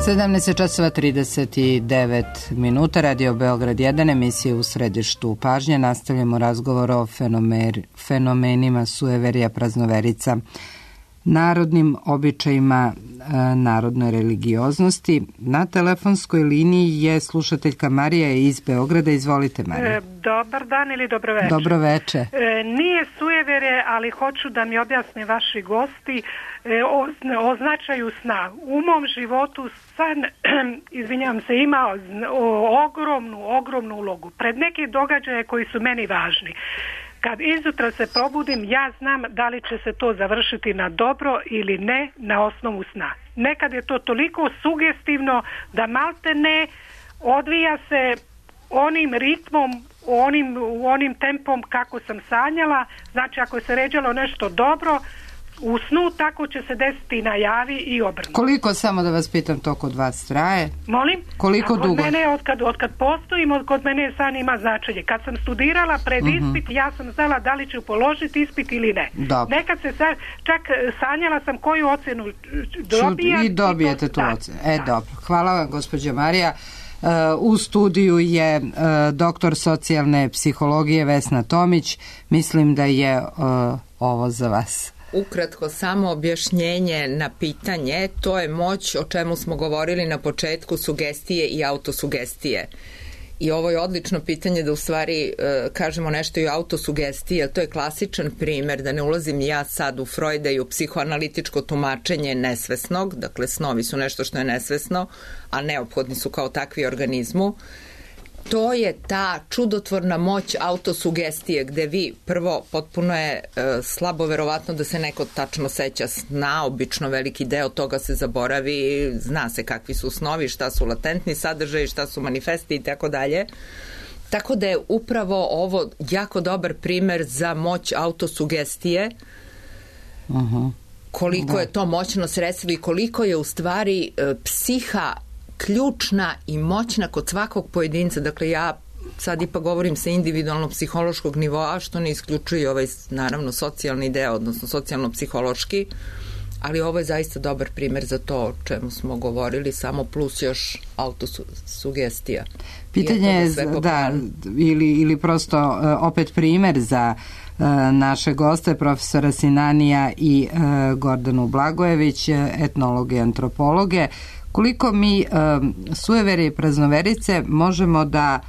17:39 Radio Beograd 1, emisija u središtu pažnje. Nastavljamo razgovor o fenomenima sueverija, praznoverica, narodnim običajima, narodnoj religioznosti. Na telefonskoj liniji je slušateljka Marija iz Beograda. Izvolite, Marija. Dobar dan ili dobro večer. Dobro večer. Nije suevere, ali hoću da mi objasne vaši gosti o značaju sna. U mom životu san, izvinjavam se, ima ogromnu ulogu. Pred neke događaje koji su meni važni. Kad izjutra se probudim, ja znam da li će se to završiti na dobro ili ne na osnovu sna. Nekad je to toliko sugestivno da malte ne odvija se onim ritmom, onim tempom kako sam sanjala. Znači, ako se ređalo nešto dobro u snu, tako će se desiti na javi i obrnuto. Koliko, samo da vas pitam, to kod vas traje? Molim? Koliko dugo? Kod mene, od kad postojim, kod mene san ima značenje. Kad sam studirala pred ispit, ja sam znala da li ću položiti ispit ili ne. Dobro. Nekad se čak sanjala sam koju ocenu dobijam. I dobijete tu ocenu. Dobro. Hvala vam, gospođa Marija. U studiju je doktor socijalne psihologije Vesna Tomić. Mislim da je ovo za vas. Ukratko, samo objašnjenje na pitanje, to je moć o čemu smo govorili na početku, sugestije i autosugestije. I ovo je odlično pitanje da u stvari kažemo nešto i o autosugestiji, jer to je klasičan primer, da ne ulazim ja sad u Freuda i u psihoanalitičko tumačenje nesvesnog, dakle snovi su nešto što je nesvesno, a neophodni su kao takvi organizmu. To je ta čudotvorna moć autosugestije, gde vi prvo, potpuno je slabo verovatno da se neko tačno seća sna, obično veliki deo toga se zaboravi, zna se kakvi su snovi, šta su latentni sadržaji, šta su manifesti i tako dalje. Tako da je upravo ovo jako dobar primer za moć autosugestije, koliko je to moćno sredstvo i koliko je u stvari psiha ključna i moćna kod svakog pojedinca. Dakle, ja sad ipak govorim sa individualno-psihološkog nivoa, što ne isključuje ovaj, naravno, socijalni deo, odnosno socijalno-psihološki, ali ovo je zaista dobar primer za to o čemu smo govorili, samo plus još autosugestija. Pitanje je, da, ili prosto opet primer za naše goste, profesora Sinanija i Gordanu Blagojević, etnologe i antropologe. Koliko mi suevere i praznoverice možemo da,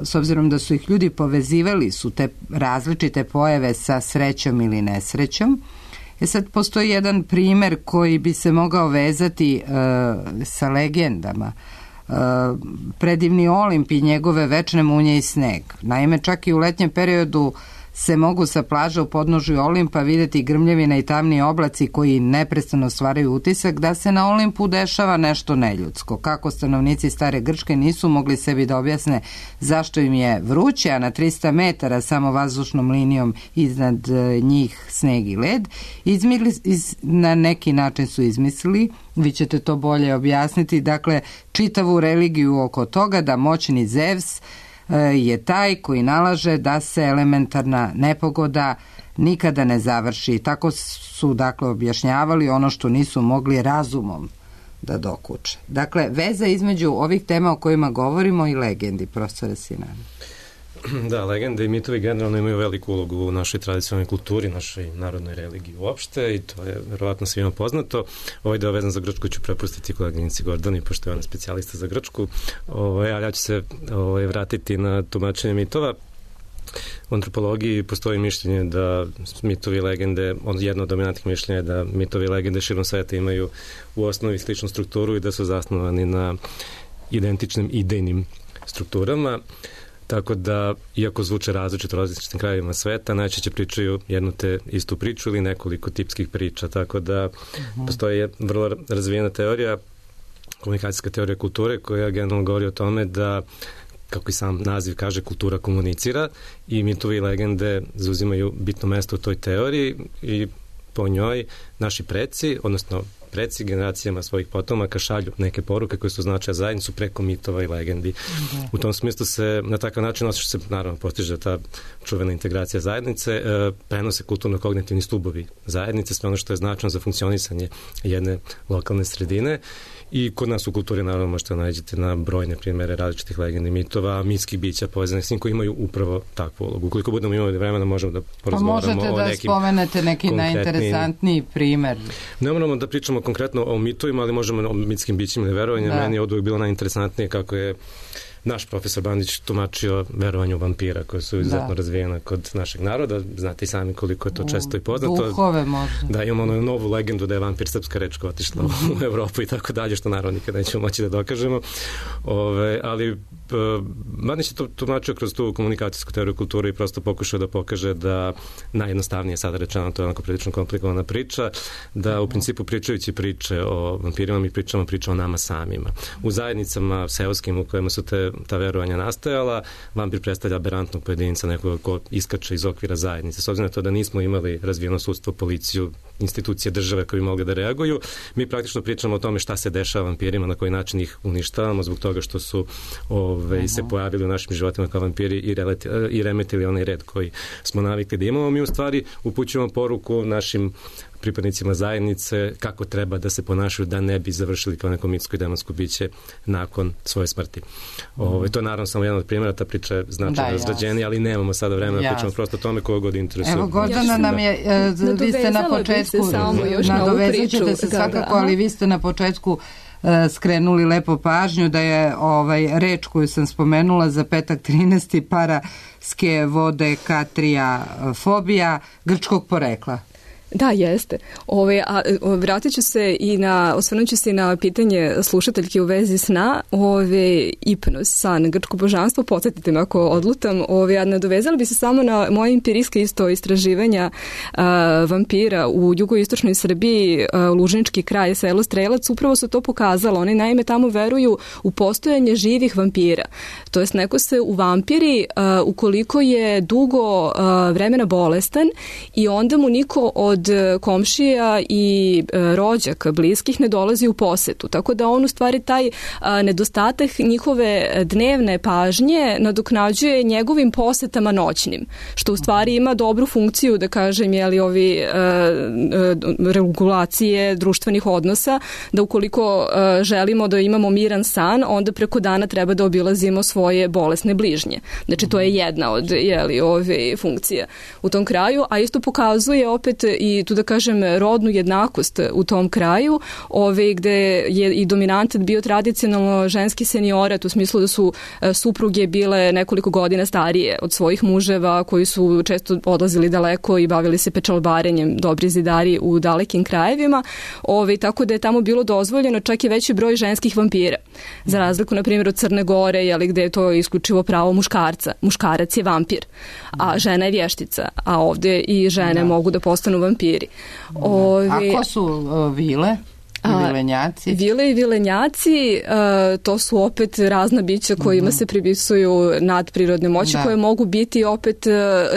s obzirom da su ih ljudi povezivali, su te različite pojave sa srećom ili nesrećom. Sad postoji jedan primer koji bi se mogao vezati sa legendama. Predivni Olimp i njegove večne munje i sneg. Naime, čak i u letnjem periodu se mogu sa plaža u podnožju Olimpa videti grmljevina i tamni oblaci koji neprestano stvaraju utisak da se na Olimpu dešava nešto neljudsko. Kako stanovnici stare Grčke nisu mogli sebi da objasne zašto im je vruće, a na 300 metara samo vazdušnom linijom iznad njih sneg i led, na neki način su izmislili, vi ćete to bolje objasniti, dakle, čitavu religiju oko toga da moćni Zevs je taj koji nalaže da se elementarna nepogoda nikada ne završi. Tako su, dakle, objašnjavali ono što nisu mogli razumom da dokuče. Dakle, veza između ovih tema o kojima govorimo i legendi, profesore Sinani. Da, legende i mitovi generalno imaju veliku ulogu u našoj tradicionalnoj kulturi, našoj narodnoj religiji uopšte, i to je verovatno svima poznato. Ovaj deo vezan za Grčku ću prepustiti koleginici Gordani, pošto je ona specijalista za Grčku, a ja ću se vratiti na tumačenje mitova. U antropologiji postoji mišljenje da mitovi i legende, jedno od dominantnih mišljenja je da mitovi i legende širom sveta imaju u osnovi sličnu strukturu i da su zasnovani na identičnim idejnim strukturama. Tako da, iako zvuče različito u različitim krajevima sveta, najčešće pričaju jednu te istu priču ili nekoliko tipskih priča. Tako da postoji vrlo razvijena teorija, komunikacijska teorija kulture, koja generalno govori o tome da, kako i sam naziv kaže, kultura komunicira, i mitovi i legende zauzimaju bitno mesto u toj teoriji i po njoj naši preci, odnosno preci generacijama svojih potomaka šalju neke poruke koje su značaja zajednicu preko mitova i legendi. U tom smislu se na takav način osjeća se, naravno, postiže ta čuvena integracija zajednice, prenose kulturno-kognitivni stubovi zajednice, sve ono što je značajno za funkcionisanje jedne lokalne sredine. I kod nas u kulturi naravno možete nađete na brojne primere različitih legendi, mitova, mitskih bića povezanih s njim koji imaju upravo takvu ulogu. Ukoliko budemo imali vremena možemo da porazgovaramo o nekim... Možete da spomenete neki najinteresantniji primer. Ne moramo da pričamo konkretno o mitovima, ali možemo o mitskim bićima ili verovanjima. Meni je od uvijek bilo najinteresantnije kako je naš profesor Bandić tumačio verovanje u vampira koje su izuzetno razvijena kod našeg naroda. Znate i sami koliko je to često i poznato. Duhove možda. Da, imamo onu novu legendu da je vampir srpska reč koja otišla u Evropu i tako dalje, što naravno nikada nećemo moći da dokažemo. Ali Bandić je to tumačio kroz tu komunikacijsku teoriju kulture i prosto pokušao da pokaže da najjednostavnije sada rečeno, to je onako prilično komplikovana priča, da u principu pričajući priče o vampirima mi pričamo o nama samima. U zajednicama seoskim u kojima su ta verovanja nastajala, vampir predstavlja aberantnog pojedinca, nekoga ko iskače iz okvira zajednice. S obzirom na to da nismo imali razvijeno sudstvo, policiju, institucije države koji bi mogli da reaguju, mi praktično pričamo o tome šta se dešava vampirima, na koji način ih uništavamo zbog toga što su se pojavili u našim životima kao vampiri i remetili onaj red koji smo navikli da imamo. Mi u stvari upućujemo poruku našim pripadnicima zajednice kako treba da se ponašaju da ne bi završili kao neko mitsko i demonsko biće nakon svoje smrti. To je naravno samo jedan od primjera, ta priča je značajno razrađenija, ali nemamo sada vremena da pričamo prosto o tome koga god interesuje. Evo, Gordana nam je, vi ste na početku, nadovezat ćete se svakako, ali vi ste na početku skrenuli lepo pažnju da je reč koju sam spomenula za petak 13. paraske vodekatrija fobija grčkog porekla. Da, jeste. Vratit ću se i osvrnut ću se i na pitanje slušateljke u vezi sna, hipnoz, san, grčko božanstvo, podsjetite me ako odlutam, nadovezala bi se samo na moje empirijske isto istraživanja vampira u jugoistočnoj Srbiji, Lužnički kraj, selo Strelac, upravo su to pokazalo. Oni naime tamo veruju u postojanje živih vampira. To jest neko se u vampiri ukoliko je dugo vremena bolestan i onda mu niko od komšija i rođaka, bliskih ne dolazi u posetu. Tako da on u stvari taj nedostatak njihove dnevne pažnje nadoknađuje njegovim posetama noćnim, što u stvari ima dobru funkciju, da kažem, regulacije društvenih odnosa, da ukoliko želimo da imamo miran san, onda preko dana treba da obilazimo svoje bolesne bližnje. Znači, to je jedna od funkcija u tom kraju, a isto pokazuje opet i tu da kažem rodnu jednakost u tom kraju, gde je i dominantan bio tradicionalno ženski seniorat, u smislu da su supruge bile nekoliko godina starije od svojih muževa, koji su često odlazili daleko i bavili se pečalbarenjem, dobri zidari u dalekim krajevima, tako da je tamo bilo dozvoljeno čak i veći broj ženskih vampira. Za razliku, na primjer, od Crne Gore, gde je to isključivo pravo muškarca. Muškarac je vampir, a žena je vještica, a ovde i žene mogu da postanu vampiri. A ko su vile? Vilenjaci? Vile i vilenjaci, to su opet razna bića kojima se pripisuju nadprirodne moći, koje mogu biti opet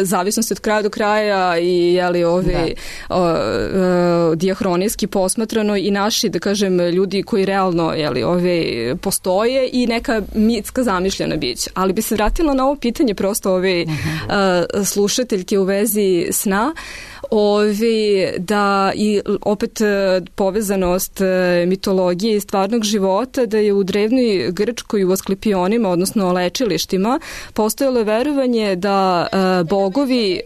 zavisnosti od kraja do kraja i dijahronijski posmatrano i naši, da kažem, ljudi koji realno postoje i neka mitska zamišljena bića. Ali bi se vratila na ovo pitanje prosto slušateljke u vezi sna, da i opet povezanost mitologije i stvarnog života, da je u drevnoj Grčkoj u Asklepionima, odnosno lečilištima, postojalo verovanje da bogovi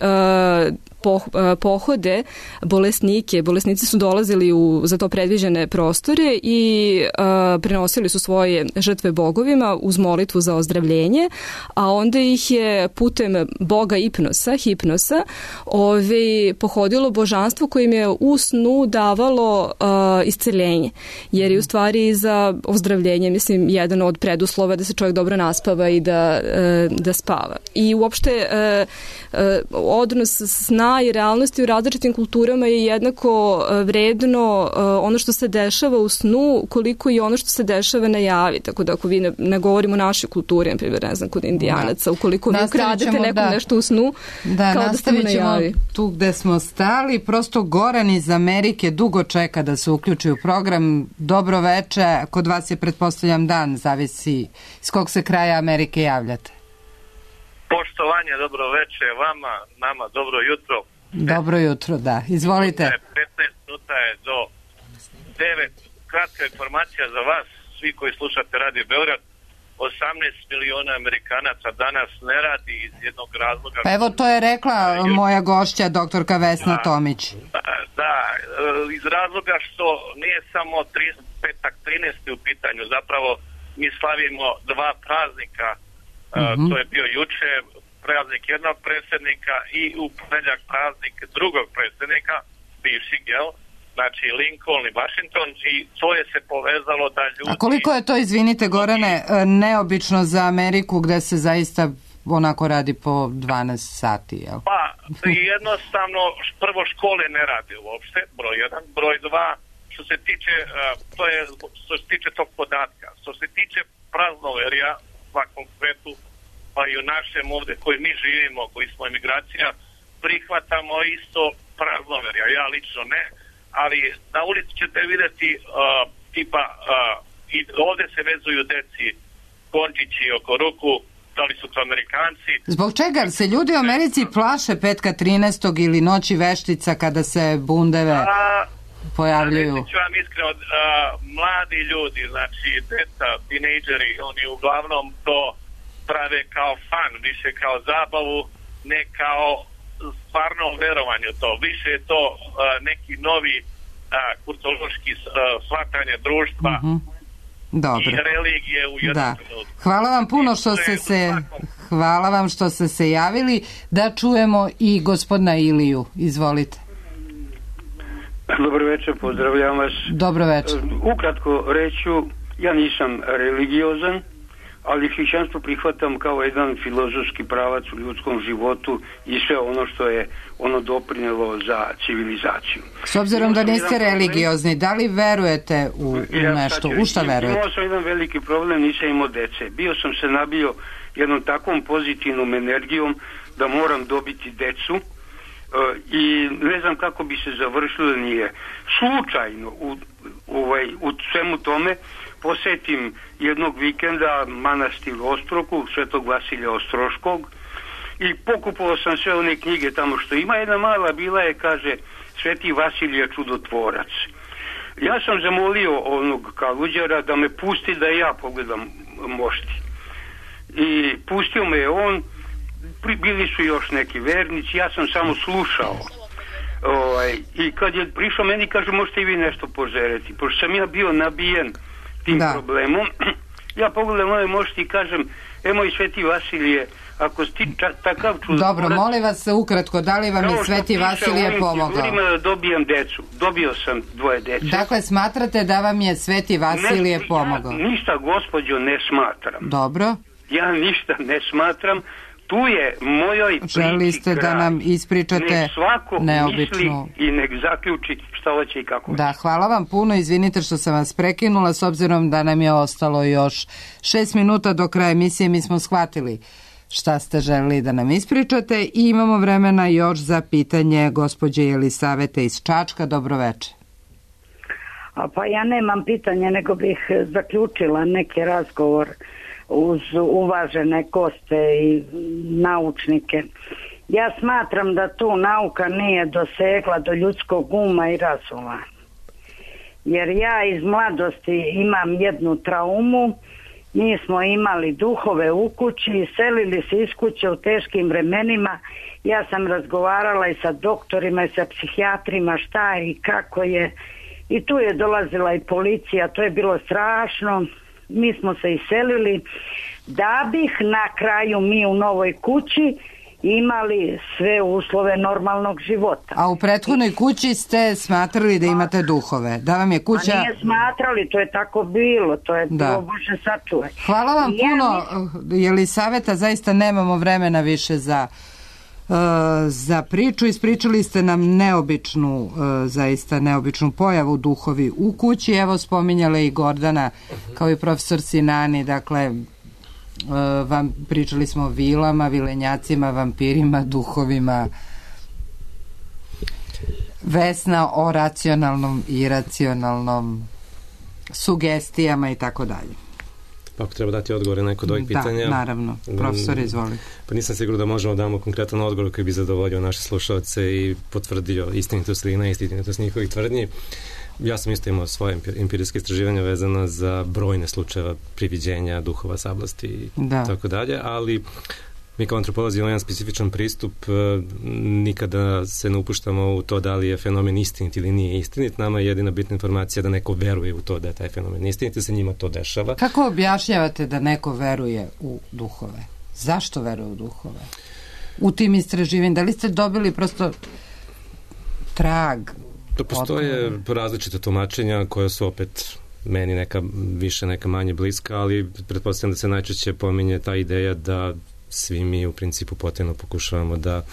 pohode bolesnike. Bolesnici su dolazili u za to predviđene prostore i prenosili su svoje žrtve bogovima uz molitvu za ozdravljenje, a onda ih je putem boga hipnosa, pohodilo božanstvo kojim je u snu davalo isceljenje. Jer je u stvari za ozdravljenje, mislim, jedan od preduslova da se čovjek dobro naspava i da spava. I uopšte odnos sna sna i realnosti u različitim kulturama je jednako vredno ono što se dešava u snu koliko i ono što se dešava na javi. Tako da ako vi ne govorimo o našoj kulturi, na primjer, ne znam, kod Indijanaca, ukoliko vi ukradete nekom nešto u snu, kao da ste mu na javi. Tu gde smo stali, prosto Goran iz Amerike dugo čeka da se uključi u program. Dobro veče, kod vas je pretpostavljam dan, zavisi iz kog se kraja Amerike javljate. Poštovanje, dobro veče vama, nama dobro jutro. Dobro jutro, da. Izvolite. 15 minuta je do 9. Kratka informacija za vas, svi koji slušate Radio Beograd. 18 miliona Amerikanaca danas ne radi iz jednog razloga. Pa evo, to je rekla moja gošća, doktorka Vesna Tomić. Da, iz razloga što nije samo petak 13. u pitanju, zapravo mi slavimo dva praznika. To je bio juče praznik jednog predsjednika i u ponedjeljak praznik drugog predsjednika, bivših, jel? Znači Lincoln i Washington, i to je se povezalo da ljudi... A koliko je to, izvinite Gorane, neobično za Ameriku gde se zaista onako radi po 12 sati, jel? Pa, jednostavno, prvo škole ne radi uopšte, broj 1, broj 2, što se tiče tog podatka. Što se tiče praznoverja u svakom svetu, pa i u našem ovde koji mi živimo, koji smo emigracija, prihvatamo isto praznoverja. Ja lično ne, ali na ulici ćete vidjeti i ovde se vezuju deci končići oko ruku, da li su to Amerikanci. Zbog čega se ljudi u Americi plaše petka 13. ili noći veštica kada se bundeve pojavljuju? Reći ću vam iskreno, mladi ljudi, znači deca, tinejdžeri, oni uglavnom to prave kao fan, više kao zabavu, ne kao stvarno verovanje to. Više je to neki novi kulturološki shvatanje društva i religije u jednom trenutku. Hvala vam puno hvala vam što ste se javili. Da čujemo i gospodina Iliju. Izvolite. Dobro večer, pozdravljam vas. Dobro večer. Ukratko reću, ja nisam religiozan, ali hrišćanstvo prihvatam kao jedan filozofski pravac u ljudskom životu i sve ono što je ono doprinelo za civilizaciju. S obzirom da niste religiozni, da li verujete u nešto? U šta verujete? Imao sam jedan veliki problem, nisam imao dece. Bio sam se nabio jednom takvom pozitivnom energijom da moram dobiti decu i ne znam kako bi se završilo, nije. Slučajno u svemu tome posetim jednog vikenda manastir Ostroku, Svetog Vasilija Ostroškog, i pokupovao sam sve one knjige tamo što ima. Jedna mala bila je, kaže, Sveti Vasilije čudotvorac. Ja sam zamolio onog kaluđara da me pusti da ja pogledam mošti. I pustio me je on, bili su još neki vernici, ja sam samo slušao. I kad je prišao meni, kaže, možete i vi nešto požereti. Pošto sam ja bio nabijen tim problemom, ja pogledam ove mošti i kažem, moj Sveti Vasilije, ako si ti takav čudotvorac... Dobro, molim vas ukratko, da li vam je Sveti Vasilije pomogao? Da dobijem decu. Dobio sam 2 dece. Dakle, smatrate da vam je Sveti Vasilije pomogao? Ja ništa, gospođo, ne smatram. Dobro. Ja ništa ne smatram. Tu je mojoj priči kraj. Želi ste da nam ispričate nek svako neobično misli i nek zaključi šta hoće i kako hoće. Da, hvala vam puno, izvinite što sam vas prekinula, s obzirom da nam je ostalo još 6 minuta do kraja emisije. Mi smo shvatili šta ste želeli da nam ispričate i imamo vremena još za pitanje gospođe Jelisavete iz Čačka. Dobro večer. Pa ja nemam pitanje, nego bih zaključila neki razgovor uz uvažene goste i naučnike. Ja smatram da tu nauka nije dosegla do ljudskog uma i razuma. Jer ja iz mladosti imam jednu traumu. Mi smo imali duhove u kući, selili se iz kuće u teškim vremenima. Ja sam razgovarala i sa doktorima i sa psihijatrima šta je i kako je. I tu je dolazila i policija, to je bilo strašno. Mi smo se iselili da bih na kraju mi u novoj kući imali sve uslove normalnog života. A u prethodnoj kući ste smatrali da imate duhove? Da vam je kuća... A nije smatrali, to je tako bilo, to je bilo Bože sačuvaj. Hvala vam puno, Jelisaveta, zaista nemamo vremena više za za priču. Ispričali ste nam neobičnu, zaista neobičnu pojavu duhovi u kući. Evo, spominjala i Gordana, kao i profesor Sinani, dakle, pričali smo o vilama, vilenjacima, vampirima, duhovima. Vesna o racionalnom i iracionalnom, sugestijama i tako dalje. Pa ako treba dati odgovore na neko od ovih pitanja... Da, naravno. Profesor, izvoli. Pa nisam siguran da možemo damo konkretan odgovor koji bi zadovoljio naše slušalce i potvrdio istinitost ili neistinitost njihovih tvrdnji. Ja sam isto imao svoje empirijske istraživanja vezana za brojne slučajeva priviđenja, duhova, sablasti i tako dalje, ali mi kao antropolozi imamo jedan specifičan pristup, nikada se ne upuštamo u to da li je fenomen istinit ili nije istinit. Nama je jedina bitna informacija da neko veruje u to da je taj fenomen istinit i se njima to dešava. Kako objašnjavate da neko veruje u duhove? Zašto veruje u duhove? U tim istraživanjima, da li ste dobili prosto trag? To postoje različite tumačenja koja su opet meni neka više, neka manje bliska, ali pretpostavljam da se najčešće pominje ta ideja da svi mi u principu potajno pokušavamo da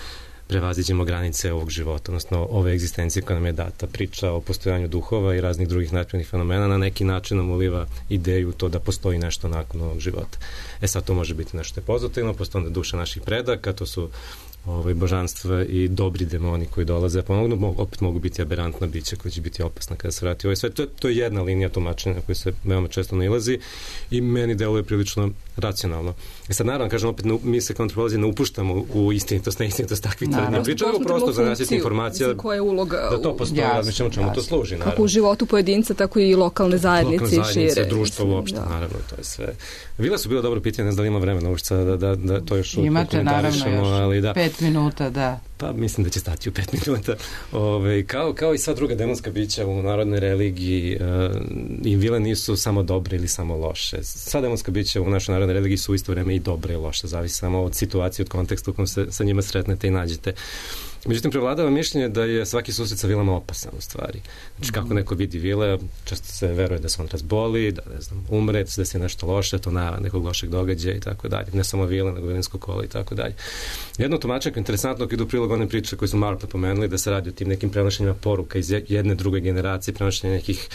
prevaziđemo granice ovog života, odnosno ove egzistencije koja nam je data. Priča o postojanju duhova i raznih drugih načinjenih fenomena na neki način nam uliva ideju to da postoji nešto nakon ovog života. Sad to može biti nešto pozitivno, postoje onda duša naših predaka, to su božanstva i dobri demoni koji dolaze, pomognu, opet mogu biti aberantna bića koja će biti opasna kada se vrati ovaj svet. To je jedna linija tumačenja koja se veoma često nailazi i meni deluje prilično racionalno. Sad naravno, kažem opet, mi se kao antropolozi ne upuštamo u istinitost, neistinitost takvih tvrdnja. Pričamo prosto za nasjetnih informacija da to postoji, razmišljamo čemu to služi. Kako u životu pojedinca, tako i lokalne zajednice i šire. Društvo uopšte, naravno, to je sve. Vila su bilo dobro pitanje, ne znam da li ima vremena uopšte da to još komentarišemo, ali da. 5 minuta, da. Pa mislim da će stati u 5 minuta. Kao i sva druga demonska bića u narodnoj religiji, i vile nisu samo dobre ili samo loše. Sva demonska bića u našoj narodnoj religiji su u isto vreme i dobre i loše. Zavisi samo od situacije, od konteksta u kojem se sa njima sretnete i nađete. Međutim, prevladava mišljenje da je svaki susret sa vilama opasan u stvari. Znači, kako neko vidi vile, često se veruje da se on razboli, da, ne znam, umre, da se nešto loše, to na nekog lošeg događaja i tako dalje. Ne samo vile, nego vilinsko kolo i tako dalje. Jedno tumačenje interesantno idu u prilog one priče koje su malo pomenuli, da se radi o tim nekim prenošenjima poruka iz jedne druge generacije, prenošenja nekih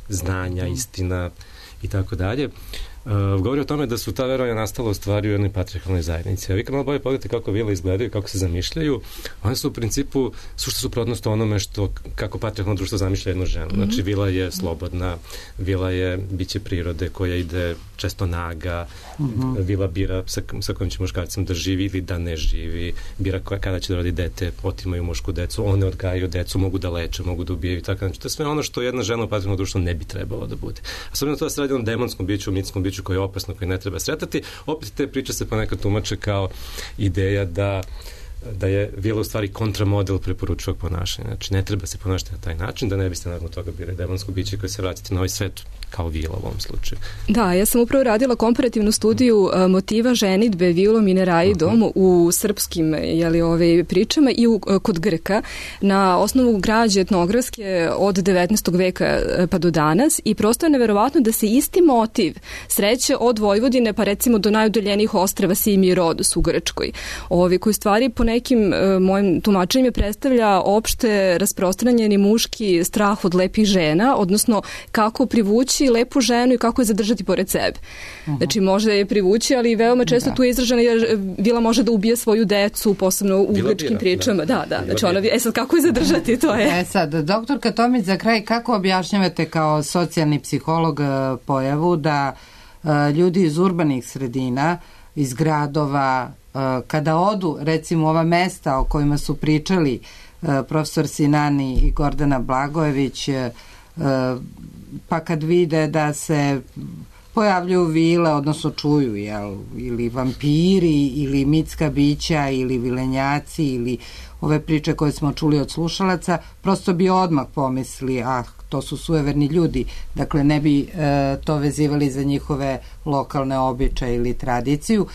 znanja, istina i tako dalje. Govori o tome da su ta verovanja nastala u stvari u jednoj patrijarhalnoj zajednici. A vi kad malo bolje pogledate kako vile izgledaju, kako se zamišljaju, one su u principu sušta suprotnost onome kako patrijarhalno društvo zamišlja jednu ženu. Znači, vila je slobodna, vila je biće prirode koja ide često naga, vila bira sa kojim će muškarcem da živi ili da ne živi, bira kada će da rodi dete, otimaju mušku decu, one odgajaju decu, mogu da leče, mogu da ubijaju i tako. Znači, to je sve ono što jedna žena u patrijarhalnom društvu ne bi trebalo da bude. A s obzirom to da se radi o demonskom biću, mitskom biću koje je opasno, koje ne treba sretati, opet te priče se ponekad tumače kao ideja da je vila u stvari kontramodel preporučivog ponašanja. Znači, ne treba se ponašati na taj način, da ne biste nakon toga bili demonsko biće koje se vratite na ovaj svet kao vila u ovom slučaju. Da, ja sam upravo radila komparativnu studiju motiva ženidbe vilom i neraidom u srpskim pričama i kod Grka na osnovu građe etnografske od 19. veka pa do danas i prosto je neverovatno da se isti motiv sreće od Vojvodine pa recimo do najudaljenijih ostrava Simi i Rodos u Grčkoj. Koji stvari po nekim mojim tumačenjima predstavlja opšte rasprostranjeni muški strah od lepih žena, odnosno kako privući lepu ženu i kako je zadržati pored sebe. Znači, može je privući, ali veoma često tu je izražena jer vila može da ubije svoju decu, posebno u grčkim pričama. Da. Znači, sad kako je zadržati, to je. Sad, doktorka Tomić, za kraj, kako objašnjavate kao socijalni psiholog pojavu da ljudi iz urbanih sredina, iz gradova, kada odu, recimo, ova mesta o kojima su pričali profesor Sinani i Gordana Blagojević, pa kad vide da se pojavljuju vile, odnosno čuju, ili vampiri, ili mitska bića, ili vilenjaci, ili ove priče koje smo čuli od slušalaca, prosto bi odmah pomisli, to su sujeverni ljudi, dakle ne bi to vezivali za njihove lokalne običaje ili tradiciju.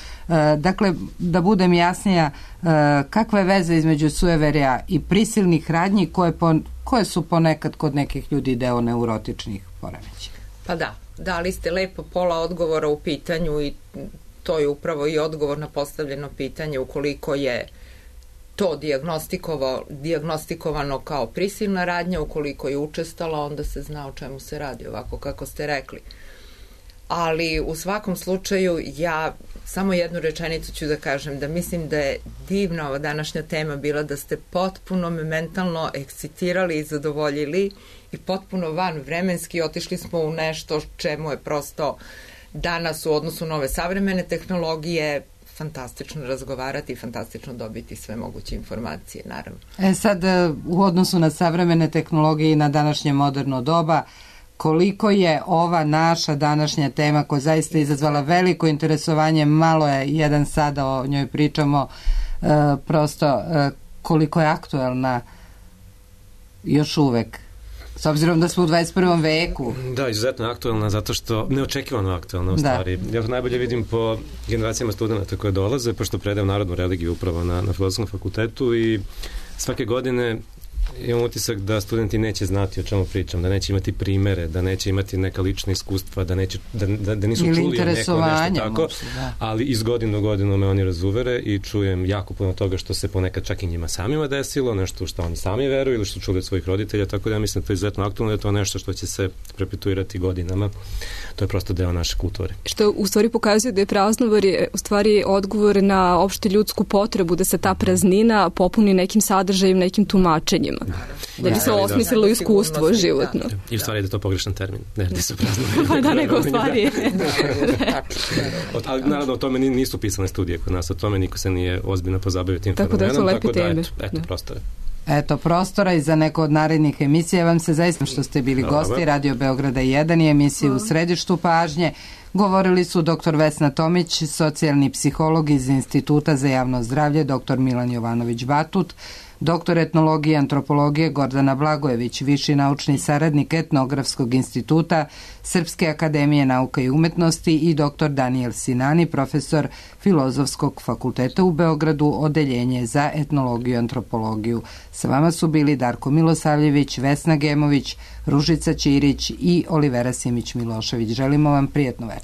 Dakle, da budem jasnija, kakva je veza između sujeverja i prisilnih radnji koje su ponekad kod nekih ljudi deo neurotičnih poremećaja? Pa da, dali ste lepo pola odgovora u pitanju i to je upravo i odgovor na postavljeno pitanje ukoliko je to dijagnostikovano kao prisilna radnja, ukoliko je učestala, onda se zna o čemu se radi, ovako kako ste rekli. Ali u svakom slučaju ja samo jednu rečenicu ću da kažem, da mislim da je divna ova današnja tema bila, da ste potpuno me mentalno ekscitirali i zadovoljili i potpuno van vremenski otišli smo u nešto čemu je prosto danas u odnosu na ove savremene tehnologije fantastično razgovarati i fantastično dobiti sve moguće informacije, naravno. Sad, u odnosu na savremene tehnologije i na današnje moderno doba, koliko je ova naša današnja tema, koja zaista izazvala veliko interesovanje, malo je jedan sada o njoj pričamo, prosto koliko je aktuelna još uvek, s obzirom da smo u 21. veku. Da, izuzetno aktuelna, zato što neočekivano aktuelna u stvari. Ja to najbolje vidim po generacijama studenta koje dolaze, pošto predajem narodnu religiju upravo na Filozofskom fakultetu i svake godine imam utisak da studenti neće znati o čemu pričam, da neće imati primere, da neće imati neka lična iskustva, da nisu čuli neko nešto tako, ali iz godine u godinu me oni razuvere i čujem jako puno toga što se ponekad čak i njima samima desilo, nešto što oni sami veruju ili što čuli od svojih roditelja, tako da ja mislim da to je izuzetno aktualno, da je to nešto što će se perpetuirati godinama. To je prosto deo naše kulture. Što u stvari pokazuje da je praznovar u stvari odgovor na opšte ljudsku potrebu da se ta praznina popuni nekim sadržajem, nekim tumačenjima. Da bi se osmislilo iskustvo životno. I u stvari da je to pogrešan termin. Ne radi se praznovar. Pa da, nego u stvari. Ali naravno o tome nisu pisane studije kod nas, o tome niko se nije ozbiljno pozabavio tim fenomenom. Tako da eto prostora. Eto, prostora i za neko od narednih emisija. Vam se zaista što ste bili gosti Radio Beograda 1 i emisiji U središtu pažnje. Govorili su dr. Vesna Tomić, socijalni psiholog iz Instituta za javno zdravlje, dr. Milan Jovanović-Batut, doktor etnologije i antropologije Gordana Blagojević, viši naučni saradnik Etnografskog instituta Srpske akademije nauka i umetnosti i doktor Daniel Sinani, profesor Filozofskog fakulteta u Beogradu, odeljenje za etnologiju i antropologiju. Sa vama su bili Darko Milosavljević, Vesna Gemović, Ružica Ćirić i Olivera Simić-Milošević. Želimo vam prijatno večer.